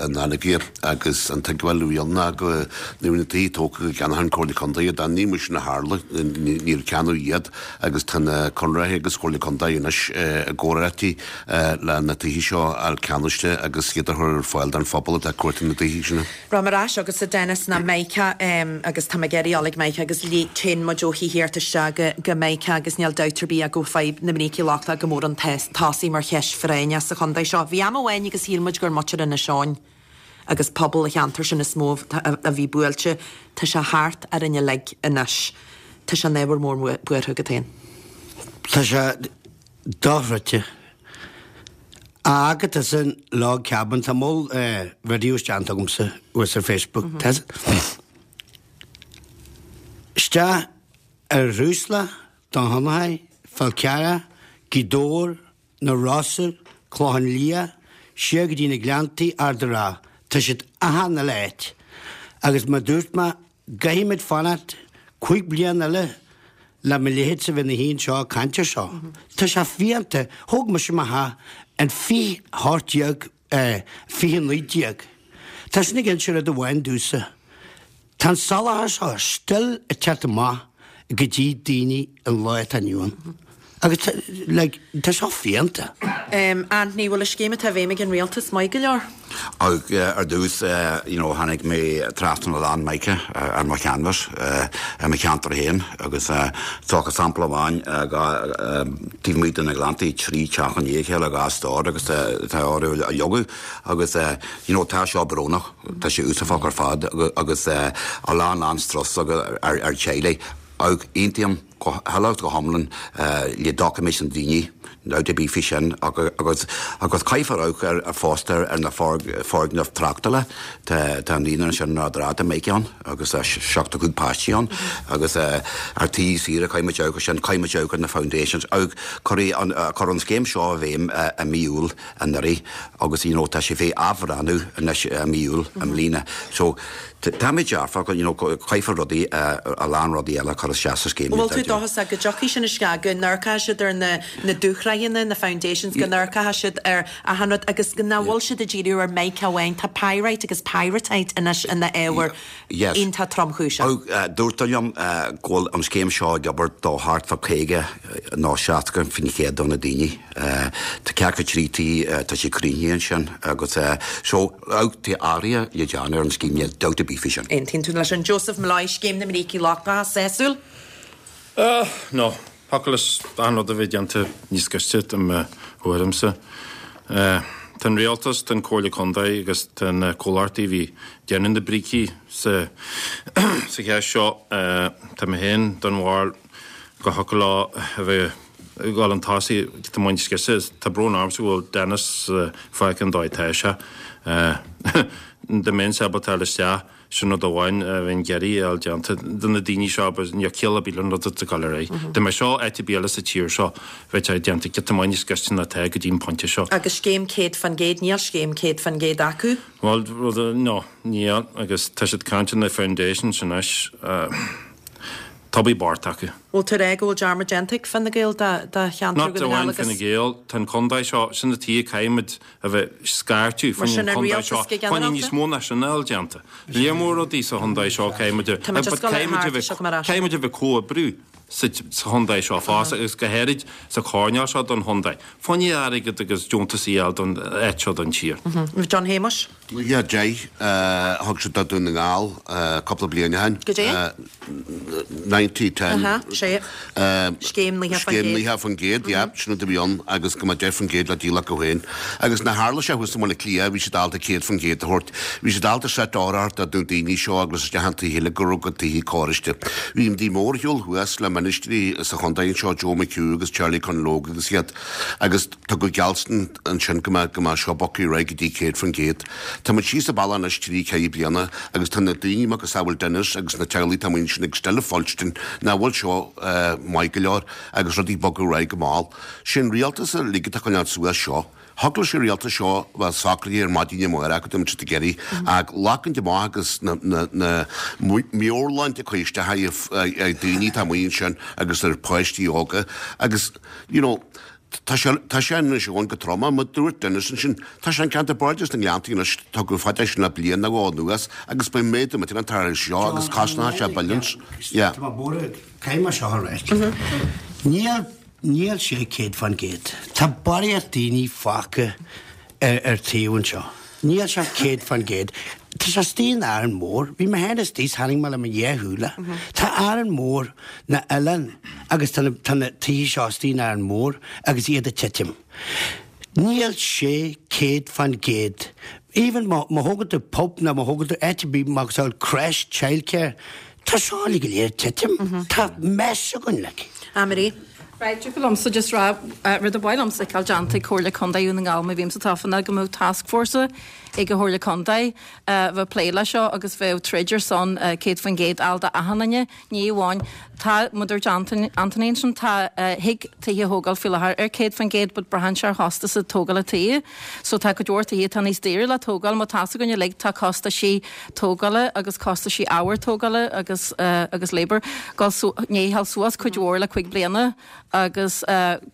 in Anagaire agus an tuigbheáil a bhí ann ná go nuair a bhí na tithe tógtha go gceannódh an Comhairle Contae iad. Ní mar sin a tharla, níor ceannaíodh iad agus tá na conraitheoirí agus Comhairle Contae anois i gcomhráití le na tithe seo a fháil ceannaiste agus iad a chur ar fáil don phobal atá ag cuartú na dtithe sin. Rachaidh mé ar ais chugatsa Dennis ná Meiriceá agus tá mé ag iarraidh dul ag Meiriceá agus téann muid ó thithíocht isteach go Meiriceá agus níl dabht ar bith ach go bhfuil fadhb na mbrící lochtacha go mór chun tosaigh mar cheist phráinneach sa chontae seo. Bhí am amháin agus shíl muid gur muintir Inis Eoghain agus pobal an cheantair sin is mó a bhí buailte. Tá sé thart orainn uilig anois. Tá sé ina ábhar mór buartha agat féin. Tá sé dochreidte. Agat is an log cabin, tá moll videos déanta agamsa thuas ar Facebook. Tá isteach ar Dhúsla, Dún Fionnachaidh, Fál Carrach, Gaoth Dobhair, Na Rosa, Clochán Liath, siar go dtí na Gleanntaí, Ard a' Rátha. Tá siad achan uile áit. Agus mar dúirt mé, gcaithfimid fanacht 5 bliana eile le mo leithéidse bheith ina shuí anseo ag caint ar seo. Tá sé fiánta. Thóg mise mo theach in 2018, 2019. Tá sin ag inse rud amháin domhsa. Tá an soláthar seo still ag teacht amach go dtí daoine an lá atá inniu ann. Agus tá, like, tá seo fiánta. Anthony, bhfuil an scéim atá i bhfeidhm ag an Rialtas maith go leor? Ar dtús, you know, tháinig mé trasna a lán mica ar mo chanvas i mo cheantar féin agus tógadh sampla amháin taobh amuigh de na Gleanntaí, 3 teach i ndiaidh a chéile, 2 stór agus tá orthu a leagadh agus, you know, tá seo brónach, tá sé uafásach ar fad agus a lán lán strus ar teaghlaigh. Aontaím go huile is go hiomlán le doiciméid na ndaoine, dabht ar bith faoi sin, agus agus caithfear amharc ar fosta ar na foirgnimh tráchtála. Tá an naíonra ansin in Ard an Rátha, tá mica ann agus 75 páistí ann agus ar tithe saoire caithfidh muid amharc ar sin, caithfidh muid amharc ar na foundations. Cuireadh an cuireadh an scéim seo i bhfeidhm i mí Iúil anuraidh agus you know tá sé fé athbhreathnú anois i mí Iúil i mbliana. So Táimid dearfach, you know, caithfear rudaí, a lán rudaí eile a chur isteach sa scéim. Bhfuil tú dóchasach go dtiocfaidh sin isteach, go n-amharcfaidh siad ar na na dúshraitheanna, na foundations, go n-amharcfaidh siad ar achan rud agus nach bhfuil siad ag díriú ar mica amháin. Tá pyrite agus pyrrhotite anois ina ábhar iontach tromchúiseach. Dúrtar liom go bhfuil an scéim seo ag obair do thart fá 50 nó 60% de na daoine. Tá ceathracha trí tí, tá sé críochnaithe ansin agus so tá athruithe le déanamh ar an scéim, níl dabht ar bith faoi sin. Aontaíonn tú leis sin Joseph Molloy, Scéim na mBrící Lochtacha, sásúil? No. Thiocfadh leis achan rud a bheith déanta níos gaiste i mo thuairimse. Tá an rialtas, tá an Comhairle Contae agus tá na comhlachtaí a bhí ag déanamh na brící sa cheist seo. Tá mé féin den bharúil go thiocfadh leo a bheith ag dul chun tosaigh giota maith níos gaiste. Tá brón ormsa go bhfuil Dennis fágtha an dóigh atá sé. Dá mbeinnse ábalta dul isteach. Sin rud amháin a bheinn ag iarraidh a fháil déanta do na daoine seo but níl ciall ar bith le an rud atá ag dul ar aghaidh. Dá mbeadh seo áit ar bith eile sa tír seo, bheadh sé déanta giota maith níos gaiste ná atá go dtí an pointe seo. Agus scéim 100%, níl scéim 100% acu. Bhuel, rud, no, níl agus tá siad ag caint ar na foundations anois, tá bí bart acu. Bhfuil tú ag rá go bhfuil dearmad déanta ag Fine Gael de cheantar Not Dhún na amháin nGall Fine agus. Gael, tá an contae seo, sin an tuige caithfimid a bheith scairteadh Mar faoin sin an chontae rialtas seo, go fá choinne ginearálta? níos mó ná sin a fháil déanta. Léar mór rudaí sa chontae seo caithfimid a Tá muid ag but scoil ar caithfimid a thart, bheith seo go mar ais. caithfimid a bheith comhoibriú sa sa chontae seo fosta agus go háirid sa choirnéal seo don chontae. Fá choinne airgead agus deontas a fháil don áit seo don tír. John Shéamuis. Yeah, 10, thug siad do Dún na nGall cúpla bliain ó shin. Goidé? 90, 10. Aha, sé. Scéim 90%. Scéim 90%, yeah, sin rud a bhí ann agus go mbeadh 10% le díol acu féin. Agus nár tharla sé thuas i mBaile Átha Cliath, bhí siad ábalta 100% a thabhairt. Bhí siad ábalta seit a thabhairt do na daoine seo agus isteach an taobh eile go raibh go tithe córaiste. Bhí muid mórshiúl thuas le ministrí sa chontae anseo, Joe McHugh agus Charlie Conlogue agus iad agus Tugadh geallstan ansin go mbeadh go mbeadh seo bogtha ar aghaidh go dtí 100%. Tá muid síos an bealach anois trí ceithre bliana agus tá na daoine macasamhail Dennis agus na teaghlaigh atá amuigh ansin ag still ag fuilstin nach bhfuil seo maith go leor agus rudaí ag bogadh ar aghaidh go mall. Sé an rialtas uilig atá ag coinneáil suas seo. Thig leis an rialtas seo bheith socraithe ar maidin amárach go dtí siad ag iarraidh ach glacaint amach agus na na na meabhairshláinte a chur isteach ar daoine atá amuigh ansin agus ar pháistí óga agus you know Tá sé, tá sé anois ann go trom, mar dúirt Dennis ansin, tá sé an ceantar b'airde sna Gleanntaí anois, tugadh fad é sin le bliain nó dhó anuas agus beidh méadú millteanach tar éis seo agus cosnóidh sé billions. Yeah. Tá mé buartha, caithfidh mé seo a ráit. Níl, níl sé 100%. Tá barraíocht daoine fágtha ar ar taobh anseo. Níl sé 100%. Tá sé istigh in Árainn Mhór. Bhí mé féin istigh 's chonaic mé le mo dhá shúile. Tá Árainn Mhór na oileán agus tá na tá na tithe seo istigh in Árainn Mhór agus iad ag titim. Níl sé 100%. Even má má thógann tú pub nó má thógann tú áit ar bith macasamhail creche, childcare, tá seo uilig go léir ag titim. Tá mess againn like. Anne-Marie. Right, thiocfadh liomsa just rá, rud a ba mhaith liomsa a fheiceáil déanta ag Comhairle Contae Dhún na nGall má bhímse tofa ná go mbeadh taskforce ag an Chomhairle Contae a bheadh ag plé le seo agus bheadh troid ar son 100% a fháil d'achan duine, ní amháin, tá, mar dúirt Anthony ansin, tá, thig tithe a thógáil faoi láthair ar 100% but braitheann sé ar chostas tógála tithe. So tá cuid mhór tithe atá níos daoire le tógáil, má tá's againn uilig tá costaisí tógála agus costaisí ábhair tógála agus agus labour dul su i ndiaidh dhul suas cuid mhór le cuig bliana agus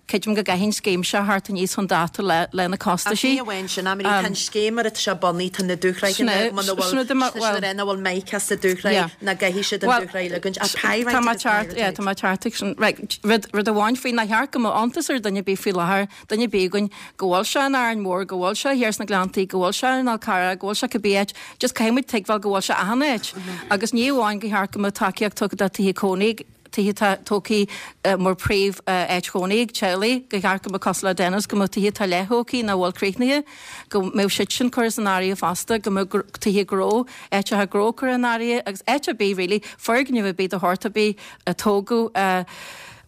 creidim go gcaithfidh an scéim seo theacht aníos chun dáta le le na Ach costaisí. ní amháin sin, Anne-Marie, tá an scéim mar atá sé bunaithe, tá na dúshraith muna bhfuil Sin tá siad ar nach bhfuil mica sa dúshraith ná gcaithfidh siad an dúshraith a ligean ach pyrite Tá mé agus ceart, yeah, pyrite. tá mé ceart ag sin. Right, rud rud amháin faoi nár cheart go mbeadh iontas ar dhuine ar bith faoi láthair duine ar bith againn, go bhfuil sé in Árainn Mhór, go bhfuil sé thiar sna Gleanntaí, go bhfuil sé in Fhál Carrach, go bhfuil sé cibé áit, just caithfidh muid tuigbheáil go bhfuil sé achan áit. Agus ní amháin gur cheart go mbeadh tacaíocht tugtha do tithe cónaí, tithe atá tógtha mar príomh áit chónaí ag teaghlaigh, gur cheart go mbeadh cosúil le Dennis, go mbeadh tithe atá leath-thógtha nach bhfuil críochnaithe, go mbeadh siad sin curtha san áireamh fosta, go mbeadh tithe gnó, áiteacha gnó curtha in áireamh agus áit ar bith really, foirgneamh ar bith de shórt ar bith a tógadh,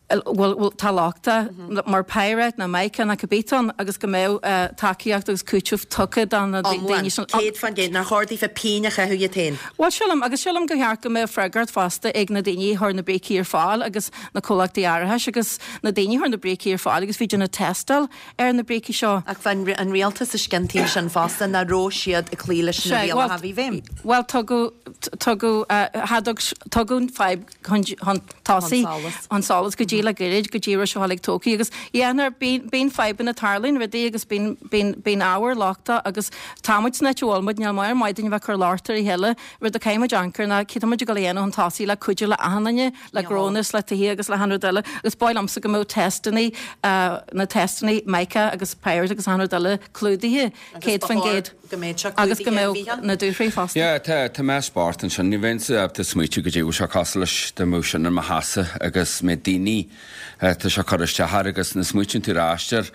bhfuil tá lochtach mar pyrite nó mica nó cibé atá ann agus go mbeadh tacaíocht agus cúiteamh tugtha do na daoine sin. Iomlán, 100%. Nár chóir daofa pingin a chaitheamh iad féin. Bhuel, sílim, agus sílim gur cheart go mbeadh freagracht fosta ag na daoine a chuir na brící ar fáil agus na comhlachtaí árachais agus na daoine a chuir na brící ar fáil agus bhí ag déanamh tástáil ar na brící seo. Ach bhí an rialtas istigh an taobh sin fosta, nach raibh siad ag cloí leis na rialacha a bhí i bhfeidhm. Bhuel, tugadh, tugadh, tugadh an fadhb chun tosaigh, chun solais go dtí le gairid, go dtí a raibh sé uilig tógtha agus yeah nuair bíonn, bíonn fadhbanna tarlaíonn rudaí agus bíonn, bíonn, bíonn ábhar lochtach agus tá muid san áit a bhfuil muid, níl mar maith dúinn a bheith ag cur locht ar a chéile, rud a caithfidh muid amharc air ná céard tá muid ag dul a dhéanamh chun tosaigh le cuidiú le achan duine, le gnónna is le tithe agus le achan rud eile agus ba mhaith liomsa go mbeadh testannaí, na testannaí mica agus pyrite agus achan rud eile clúdaithe. 100% agus go mbeadh na dúshraith fosta. Yeah, tá, tá mé spórt ansin. Ní bheinnse ábalta smaoitiú goidé bhfuil sé cosúil leis dá mbeadh sin ar mo sheasamh agus mbeadh daoine. daoine tá sé ag cur isteach air agus nuair a smaoitíonn tú ar ais air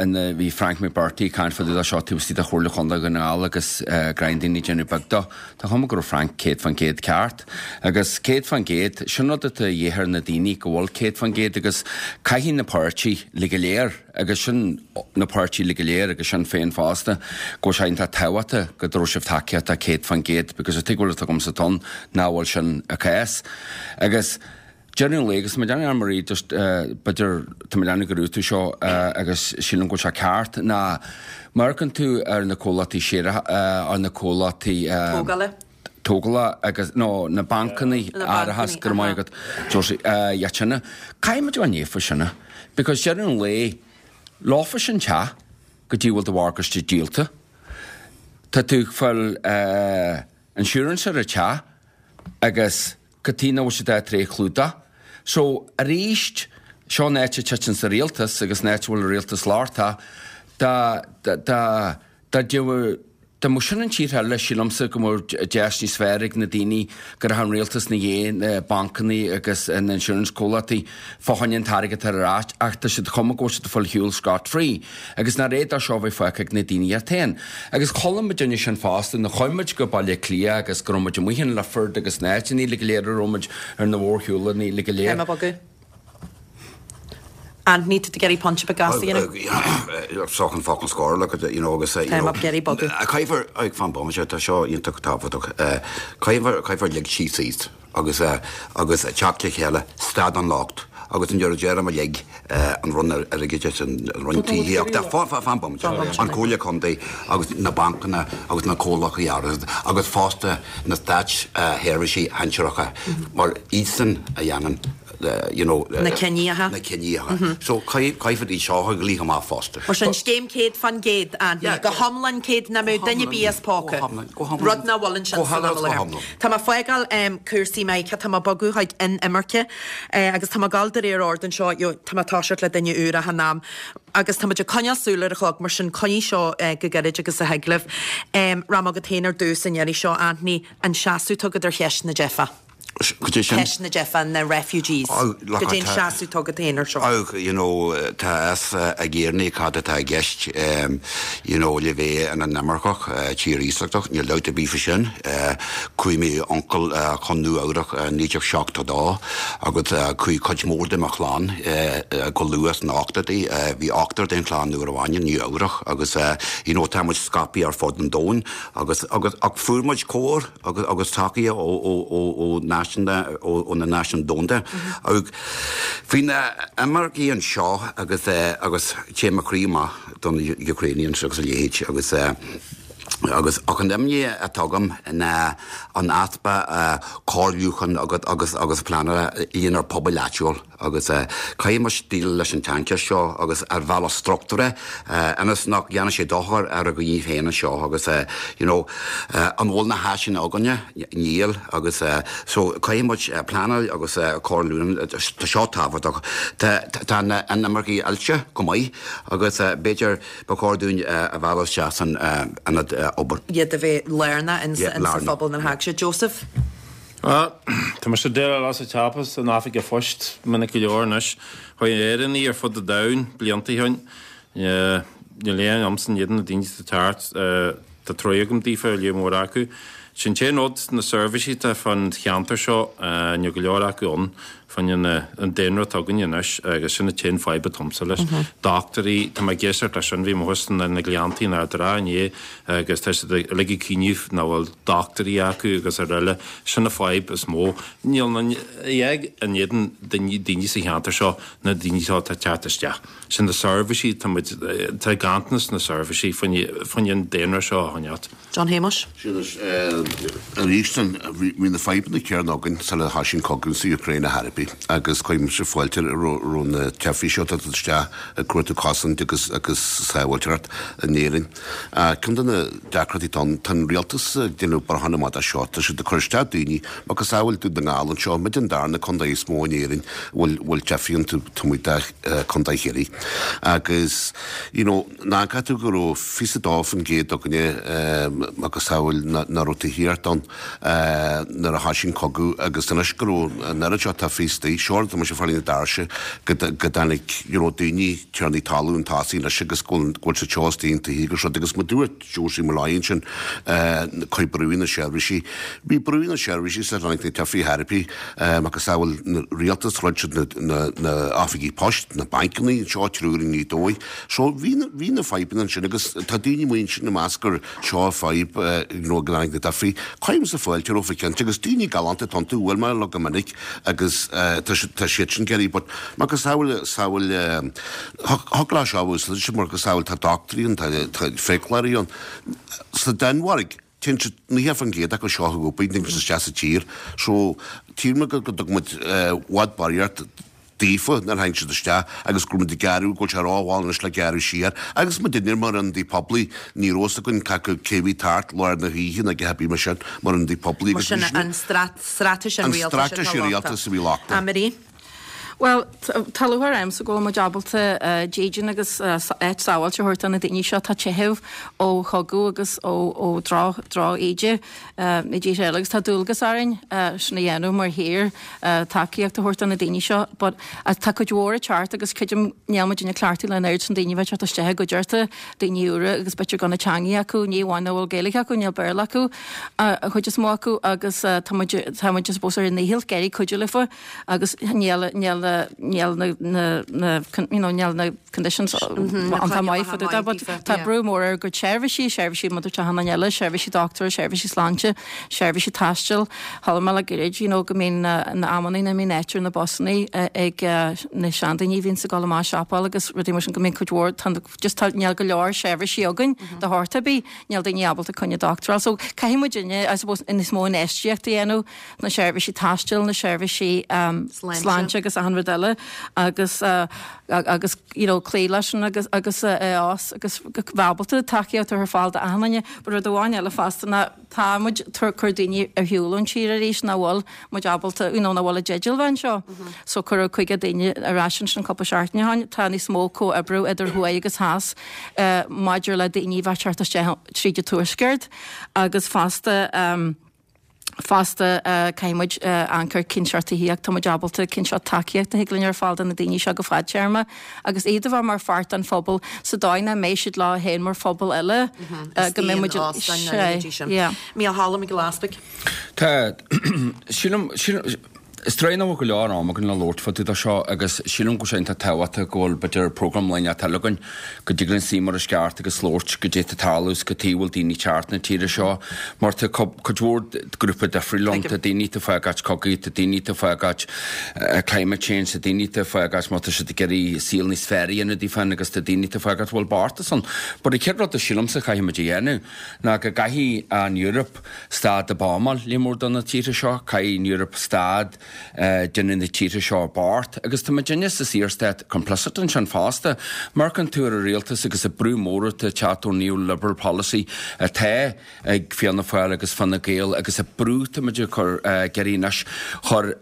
ina bhí Frank McBrearty ag caint fá dtaobh de seo taobh istigh de Chomhairle Chontae Dhún na nGall agus greim daoine ag déanamh beag dó. Tá chuma go raibh Frank 100% ceart. Agus 100%, sin rud atá a dhíth ar na daoine go bhfuil 100% agus caithfidh na páirtí le go léir agus sin na páirtí le go léir agus Sinn Féin fosta go bhfuil sé iontach tábhachtach go dtabharfaidh sibh tacaíocht do 100% because an tuigbheáil atá agamsa ann nach bhfuil sin an cás. Agus deireadh an lae agus tá mé ag déanamh Anne Marie just b'fhéidir tá mé ag déanamh go raibh tú seo agus sílim go bhfuil sé ceart ná má amharcann tú ar na comhlachtaí séaracha ar na comhlachtaí Tógála. tógála agus nó na bancanna árachas go raibh maith agat Josie iad sin caithfidh muid a bheith naofa sin because deireadh an lae leofa sin teach go dtí bhfuil do mhorgáiste díolta tá tú ag fáil insurance ar an teach agus Cad chuige nach bhfuil siad á tar éis chlúdach. So, arís, seo an áit a titeann sa rialtas agus an áit a bhfuil an rialtas lochtach, dá, dá, dá, dá dtiocfadh, dá mbeadh sin in tíortha eile, sílimse go mbeadh deis níos fearr ag na daoine go raibh an rialtas ina dhiaidh na bancanna agus na insurance comhlachtaí fá choinne an t-airgead ar ais ach tá siad chuma go bhfuil siad ag fáil shiúl scot free. Agus nach réidh dó seo a bheith fágtha ag na daoine iad féin. Agus chuala muid duine sin fosta nuair a chuaigh muid go Baile Átha Cliath agus go raibh muid amuigh in Lifford agus na áiteanna uilig go léir a raibh muid ar na mhórshiúlanna uilig go léir. Táim ag bogadh. Anthony, tá tú ag iarraidh pointe beag gasta a dhéanamh? Seo an focal scoir, look at you know, agus, you Táim know, ag iarraidh bogadh. Caithfear, ag fan bomaite, tá seo iontach tábhachtach, caithfear, caithfear lig síos síos. agus agus teacht le chéile, stad an locht agus an deireadh deirim uilig an Roinn Airgeadais, an Roinn Tithíochta, fan bomaite, an Comhairle Contae agus na bancanna agus na comhlachtaí árachais agus fosta na státseirbhísigh shinsearacha mar iadsan a dhéanann you know na cinníocha. na cinníocha. So caithfear iad seo a ghlaoch amach fosta. Mar sin, scéim 100%, Anthony, go hiomlán 100 nach mbeadh duine ar bith as póca. Rud nach bhfuil ansin san am i láthair. Tá mé ag fágáil cúrsaí maithe, tá mé ag bogadh chuig inimirce agus tá mé ag dul de réir ord anseo, tá mé ag toiseacht le duine úr achan am agus tá muid ag coinneáil súil ar an chlog mar sin coinnigh seo go gairid agus a thig libh. Rachaidh mé chugat féin ar dtús an iarraidh seo, Anthony, an seasamh atá agat ar cheist na dteifeach. Cad é sin? Ceist na dteifeach, na refugees. Cad é an seasamh atá agat féin ar seo? Oh, you know, tá a fhios ag Éireannaigh cad atá i gceist, you know, le bheith ina n-imirceach, tír iasachtach, níl dabht ar bith faoi sin. Chuaigh m'uncail chun Nua Eabhrac i 1972 agus chuaigh cuid mhór de mo chlann go luath sna ochtóidí. Bhí ochtar den chlann nuair a bhain i Nua Eabhrac agus, you know, tá muid scaipthe ar fud an domhain agus, agus, ach fuair muid cóir. agus agus tacaíocht ó ó ó ó náisiúnta ó ó na náisiúin domhanda. Agus faoi na imircigh anseo agus agus téann mo chroí amach do na Ukrainians agus a leithéid agus agus ach an imní atá agam ná an easpa comhairliúcháin agus agus agus pleanála lenár pobail áitiúil. Agus caithfidh muid déileáil leis an tsaincheist seo agus ar bhealach struchtúrtha ionas nach dhéanfaidh sé dochar ar ár ndaoine féin anseo agus you know an bhfuil na háiseanna againne? Níl agus so caithfidh muid pleanáil agus comhairliúchán, tá seo tábhachtach. Tá tá na inimircigh oilte go maith agus b'fhéidir ba chóir dúinn a mhealladh isteach san ionad obair. iad a bheith lárnach in sa phobal ina dtag siad. Joseph? Bhuel, tá mise ag déileáil as an cheapadh san oifig an phoist minic go leor anois. Chuaigh Éireannaigh ar fud an domhain blianta ó shin. Níl aon agamsa in éadan na daoine atá ag teacht. Tá truaighe agam daofa, lear mór acu. Sin an t-aon rud, na seirbhísí atá fán cheantar seo, níl go leor acu ann fá choinne an daonra atá againne anois agus sin an t-aon fadhb atá agamsa leis. Dochtúirí, tá mé ag éisteacht leis sin, bhí mé thuas na Gleanntaí in Ard an Rátha inné agus tá siad uilig ag caoineadh nach bhfuil dochtúirí acu agus araile. Sin an fadhb is mó. Níl ag in éadan daoine sa cheantar seo na daoine seo atá ag teacht isteach. Sin na seirbhísí, tá muid, tá ganntanas na seirbhísí fá choinne an daonra seo a choinneáilt. John Shéamuis. Sea anois, arís, bhí na fadhbanna céanna againn sula thoisigh an cogadh sa Ukraine ar chor ar bith agus cuirimse fáilte roimh na teifigh seo atá ag dul isteach ag cuartú cosaint agus agus sábháilteacht in Éirinn. Ceann de na deacrachtaí atá ann, tá an rialtas ag déanamh brachán amach de seo, tá siad ag cur isteach daoine, macasamhail Dún na nGall anseo, muid an darna contae is mó in Éirinn a bhfuil teifigh iontu, taobh amuigh de Contae Chiarraí. Agus, you know, Ná caithfidh tú go raibh 22% againne macasamhail nach raibh tithíocht ann nuair a thoisigh an cogadh agus anois go raibh an oiread seo teifigh. istigh. Seo tá mise ag fáil na doirse go dtáinig you know daoine, tiarnaí talún tosaí anois agus go bhfuil siad seo istigh in tithe agus rud agus mar dúirt Josie Molloy ansin chuir brú na seirbhísí. Bhí brú na seirbhísí sa tháinig na teifigh therapy macasamhail na rialtas throid siad na na oifigí poist, na bancanna anseo triúr i nGaoth Dobhair. So bhí bhí na fadhbanna ansin agus tá daoine amuigh ansin ag meas gur seo fadhb you know go dtáinig na teifigh. Cuirimse fáilte rompu cinnte agus daoine galánta atá iontu, bhuail mé leo go minic agus tá tá siad sin ag iarraidh but macasamhail samhail thug lá seo úsáid macasamhail tá dochtúirí ann tá tá fiaclóirí ann. Sa Danmhairg téann siad 90% acu seo ag obair téann siad isteach sa tír so tchí muid go dtug muid i bhfad barraíocht daofa nuair a tháinig siad isteach agus go raibh muid ag gearradh, go bhfuil sé rómhall anois le gearradh siar. Agus muidinne mar ionadaí poiblí, ní raibh fhios againn cé acu cé bhí thart lár na hoíche nó a dhath ar bith mar sin mar ionadaí poiblí Mar agus sin bhí sin an straitéis an an rialtais atá straitéis an lochtach. rialtais a bhí lochtach. A Marie? Bhuel, tá lúcháir ormsa go bhfuil muid ábalta dídean agus áit sábháilte a thabhairt do na daoine seo atá ag teitheadh ó chogadh agus ó droch-íde. i dtíortha eile agus tá dualgas orainn sin a dhéanamh mar thír, tacaíocht a thabhairt do na daoine seo but tá cuid mhór ag teacht agus creidim níl muid ag cleachtadh le an oiread sin daoine a bheith ag teacht isteach i gcuideachta, daoine úra agus b'fhéidir gan an teangaidh acu, ní amháin nach bhfuil Gaeilge acu, níl Béarla acu an chuid is mó acu agus tá muid, tá muid I suppose ar ár ndícheall ag iarraidh cuidiú leofa agus níl, níl, níl na, na, na, you know, níl na conditions iontach maith fá dtaobh de but tá brú mór ar a gcuid seirbhísí, seirbhísí maidir le achan duine eile, seirbhísí dochtúra, seirbhísí sláinte, seirbhísí taistil. Chuala mé le gairid you know go mbíonn na amannaí nach mbíonn áit ar na busannaí ag na seandaoine a bhíonns ag dul amach ag siopail agus rudaí mar sin go mbíonn cuid mhór tá just tá níl go leor seirbhísí againn de shórt ar bith, níl daoine ábalta coinne dochtúra a fháil. So caithfidh muidinne I suppose níos mó infheistíocht a dhéanamh na seirbhísí taistil, na seirbhísí sláinte agus achan rud eile agus agus you know cloí leis sin agus agus a fhás agus bheith ábalta tacaíocht a chur ar fáil d'achan duine. But rud amháin eile fosta ná tá muid ag cur daoine ar shiúl ón tír arís nach bhfuil muid ábalta you know nach bhfuil i dteideal bheith anseo. So cuireadh 50 duine ar ais ansin cúpla seachtain ó shin. Tá níos mó comhoibriú idir thuaidh agus theas maidir le daoine a bheith ag teacht isteach tríd an tuaisceart agus fosta Fosta, caithfidh muid amharc ar cén seort tithíocht tá muid ábalta, cén seort tacaíocht a thig linn a chur ar fáil do na daoine seo go fadtéarma agus iad a bheith mar pháirt den phobal sa dóigh nach mbeidh siad leo féin mar phobal eile, go mbeidh muid. Sea, yeah. Mícheál Mac Giolla Easbuig. Tá, sílim, sílim, Is trua nach bhfuil go leor am againn le labhairt fá dtaobh de seo agus sílim go bhfuil sé iontach tábhachtach go bhfuil b'fhéidir program lá inteacht eile againn go dtig linn suí mar is ceart agus labhairt goidé tá ag tarlú is cad chuige a bhfuil daoine ag teacht na tíre seo mar tá cuid mhór grúpa difriúil ann, tá daoine atá ag fágáilt cogaidh, tá daoine atá ag fágáilt climate change, tá daoine atá ag fágáilt má tá siad ag iarraidh saol níos fearr a dhéanamh daofa féin agus tá daoine atá ag fágáilt bhfuil bochtanas ann. But an chéad rud a sílimse a chaithfidh muid a dhéanamh ná go gcaithfidh an Eoraip stad de buamáil líon mór de na tíortha seo, caithfidh an Eoraip stad déanamh na tíortha seo bocht agus tá muidinne sa Saorstát complicit ansin fosta. Amharcann tú ar an rialtas agus an brú mór atá ag teacht ón neoliberal policy atá ag Fianna Fáil agus Fine Gael agus an brú atá muid ag cur ag iarraidh anois chur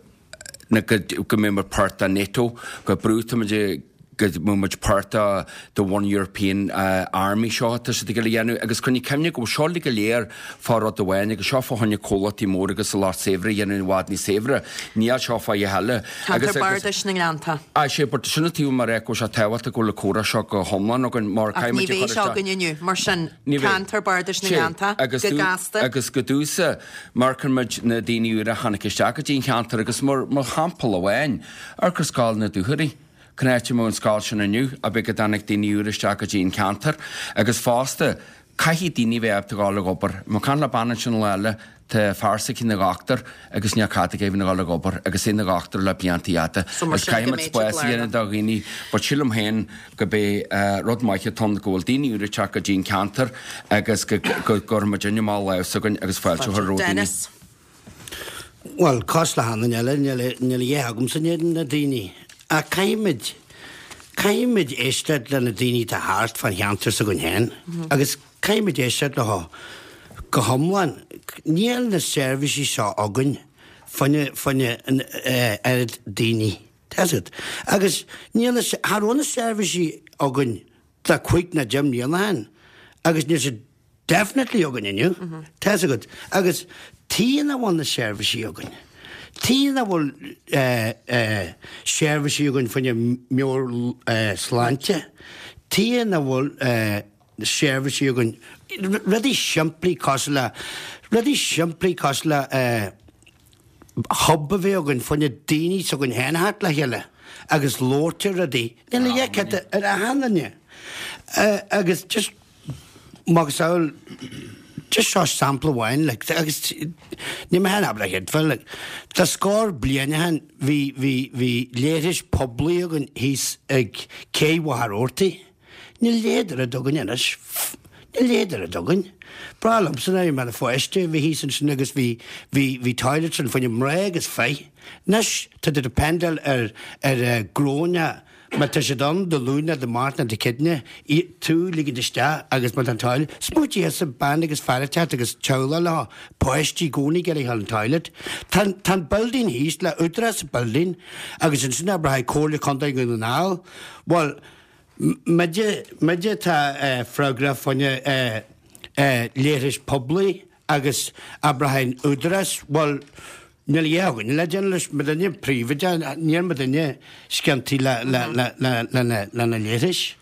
na go go mbeidh muid páirt de NATO, go brú atá muid ag go mbeidh muid páirt de the One European Army seo atá siad ag iarraidh a dhéanamh agus coinnigh cuimhne go bhfuil seo uilig go léir fá rud amháin agus seo fá choinne comhlachtaí móra agus an lucht saibhir a dhéanamh i bhfad níos saibhre. Níl seo fá dhath eile. Ceantar Bardais na nGleannta. Aye, sé, but sin an taobh mar go bhfuil sé tábhachtach go bhfuil an comhrá seo go hiomlán againn mar Ach caithfidh ní muid a bheidh chur seo isteach. againn inniu, mar sin, Ní bheidh. Ceantar Bardais na Sé, nGleannta, agus go gasta. Agus go dtús, amharcann muid na daoine úra a tháinig isteach go dtí an cheantar agus mar mar shampla amháin, amharc ar Scoil na Dúchoraidh. Cén áit a mbeadh an scoil sin inniu dá mba go dtáinig daoine úra isteach go dtí an ceantar agus fosta caithfidh daoine bheith ábalta dhul ag obair. Bhí mé ag caint le bean ansin lá eile, tá fear s'aici ina dhochtúir agus níl cead aige a bheith ina dhul ag obair agus é ina dhochtúir le blianta fhada. So mar Agus sin go caithfidh muid mbeidh siad spás a dhéanamh lárnach. do dhaoine but sílim féin go b'é rud maith atá ann go bhfuil daoine úra ag teacht go dtí an ceantar agus go gcuirfidh muid amach lámh s'againn agus fáilte a chur roimh daoine. Dennis. Bhuel, cosúil le haon duine eile, níl a dhath agamsa in éadan na daoine. Ach caithfimid, caithfimid éisteacht le na daoine atá thart fán cheantar s'againn féin agus caithfimid éisteacht leo go hiomlán. Níl na seirbhísí seo againn fá choinne, fá choinne an oiread daoine. Tá fhios agat. Agus níl na, cha raibh na seirbhísí againn le cúig nó deich mbliana ó shin agus níl siad Definitely againn inniu, tá fhios agat. Agus tuige nach bhfuil na seirbhísí againn? Tuige nach bhfuil seirbhísí againn fá choinne meabhairshláinte? Tuige nach bhfuil seirbhísí againn, rudaí simplí cosúil le, rudaí simplí cosúil le hub a bheith againn fá choinne daoine s'againn féin a theacht le chéile agus labhairt ar rudaí. Níl a dhath ar achan duine. Agus just macasamhail, just seo sampla amháin, like, agus níl mé féin ábalta a chreidbheáil, like, tá scór bliain ó shin bhí, bhí, bhí leithris poiblí againn thíos ag Cé Mhachaire Rabhartaigh. Níl a leithéid de rud againn anois. Níl a leithéid de rud againn. Breá liomsa nuair a bhí mé i mo pháiste, bhí thíos ansin agus bhí, bhí, bhí toilets ann fá choinne mná agus fir. Anois tá tú dependáil ar, ar gnónna má tá siad ann Dé Luain nó Dé Máirt nó Dé Céadaoine, tú ligint isteach agus má tá an toilet, smaointigh thusa bean agus fear ag teacht agus teaghlach leo, páistí i gcónaí ag iarraidh a ghabháil an toilet. Tá, tá an building thíos le Údarás sa building agus ansin abair Comhairle Contae Dhún na nGall, bhuel, Muide, muide atá freagrach fá choinne leithris poiblí agus abair an Údarás, bhuel, níl a dhath againne le déanamh leis, muidinne príobháideach, níl muidinne sciontaí le, le, le, le, lena, lena leithris.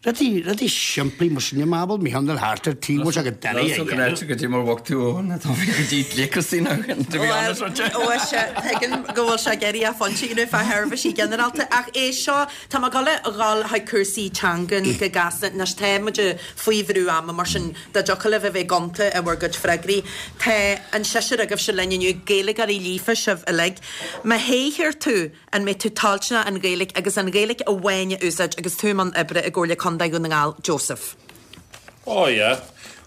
Rudaí, rudaí simplí mar sin, má bhfuil mícheál thart ar tí, bhfuil sé go doiligh a dhéanamh. Go go dtí mar bhog tú ó na tá go dtí dlíocasí ná to be honest with you. Bhuel, tuigim go bhfuil sé ag éirí a phointe you know, fá sheirbhísí ginearálta ach é seo Tá mé ag dul a dhul chuig cúrsaí teangan go gasta anois. Tá muid faoi bhrú ama, mar sin dá dtiocfadh libh a bheith gonta i bhur gcuid freagraí. Tá an seisear agaibhse linn inniu, Gaeilgeoirí líofa sibh uilig. Má thoghtar tú, an mbeidh tú toilteanach an Ghaeilge agus an Ghaeilge amháin a úsáid agus tú i mbun oibre i gComhairle Contae Dhún na nGall, Joseph? Oh yeah.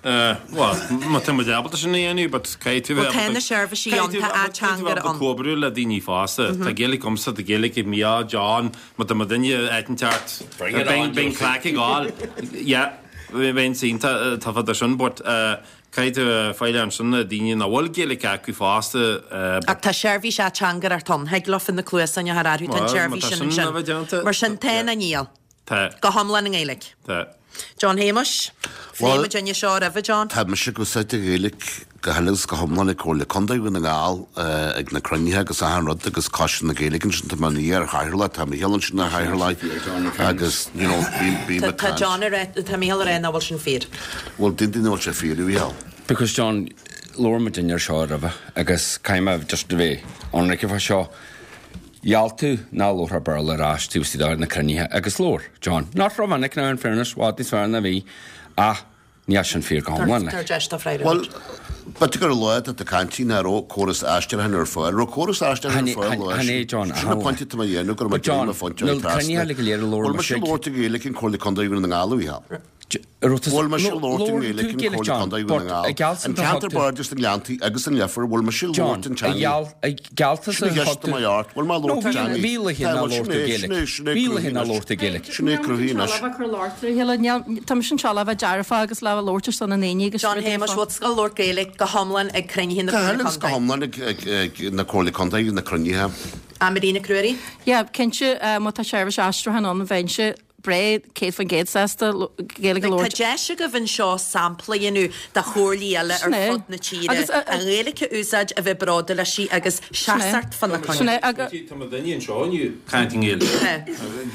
Bhuel, má tá muid ábalta sin a dhéanamh, but caithfidh tú bheith ábalta. Bhuel, tá na seirbhísí ann, tá ateangaire ann. Comhoibriú le daoine fosta. Tá Gaeilge agamsa, tá Gaeilge ag Mícheál, John, má tá muidinne áit inteacht, bíonn craic ag gabháil. Yeah, bheinn iontach tafa sin, but caithfidh tú fáil ansin na daoine nach bhfuil Gaeilge acu fosta. Ach tá seirbhís ateangaireacht ann, thig leofa na cluasáin a chur orthu, tá an tseirbhís sin ansin. Mar sin, tá nó níl? Tá. Go hiomlán i nGaeilge. Tá. John Shéamuis. Bhuel, Phléigh muid seo roimhe, John. Tá mise ag úsáid an Ghaeilge go huile is go hiomlán ag Comhairle Contae Dhún na nGall ag na cruinnithe agus achan rud agus Coiste na Gaeilge ansin tá mé ina iar-chathaoirleach, tá Micheál ansin ina chathaoirleach agus you know bím ag caint. Tá John ag rá, tá Micheál ag rá nach bhfuil sin fíor. Bhuel, d'aontaigh nach bhfuil sé fíor, a Mhichíl. Because John, labhair muid air seo roimhe agus caithfidh mé just a bheith ionraic fá seo. Gheall tú nach labharfá Béarla ar ais taobh istigh de na cruinnithe agus labhair, John. Not rómhinic now in fairness, bhfad níos fearr ná bhí, ach níl sin fíor go hiomlán, like. Tabhair deis dó freagra Bhuel, b'fhéidir gur lá atá caint nach raibh córas aistriúcháin ar fáil. Raibh córas aistriúcháin ar fáil lá Chan é, John. Sin an pointe atá mé a dhéanamh, go raibh mé But John, ag déanamh mo phointe na cruinnithe uilig go léir a labhair Bhfuil mise mise ag labhairt i Gaeilge in Comhairle Contae Dhún na nGall, a Mhícheál? Bhfuil mise ag labhairt i nGaeilge in Comhairle Contae Dhún na Ngall, an ceantar bardais na nGleanntaí agus an Leifear, bhfuil mise ag labhairt an teanga? Sin an cheist atá mé ort, bhfuil mé ag labhairt an teanga? Bhí laethe nár labhair tú Gaeilge. Bhí laethe nár labhair tú Gaeilge. Sin é cruthaithe anois. Tá mise anseo le bheith dearfach agus le labhairt ar son na ndaoine agus John Shéamuis, bhfuil tú ag labhairt Gaeilge go hiomlán ag cruinnithe na Go Comhairle huile is go Contae? hiomlán ag na Comhairle Contae, na cruinnithe. Marie Nic Ruairí? Yeah, cinnte, má tá seirbhís aistriúcháin ann, bheinnse breá 100% sásta Gaeilge a Tá labhairt. deis agaibh anseo sampla a dhéanamh de chomhairlí eile ar Sin é. fud na tíre, Agus, uh, an Ghaeilge a úsáid, a bheith bródúil aisti agus seasacht fána Sin coinne. é, agus. Tá mo dhuine anseo inniu, caint i nGaeilge.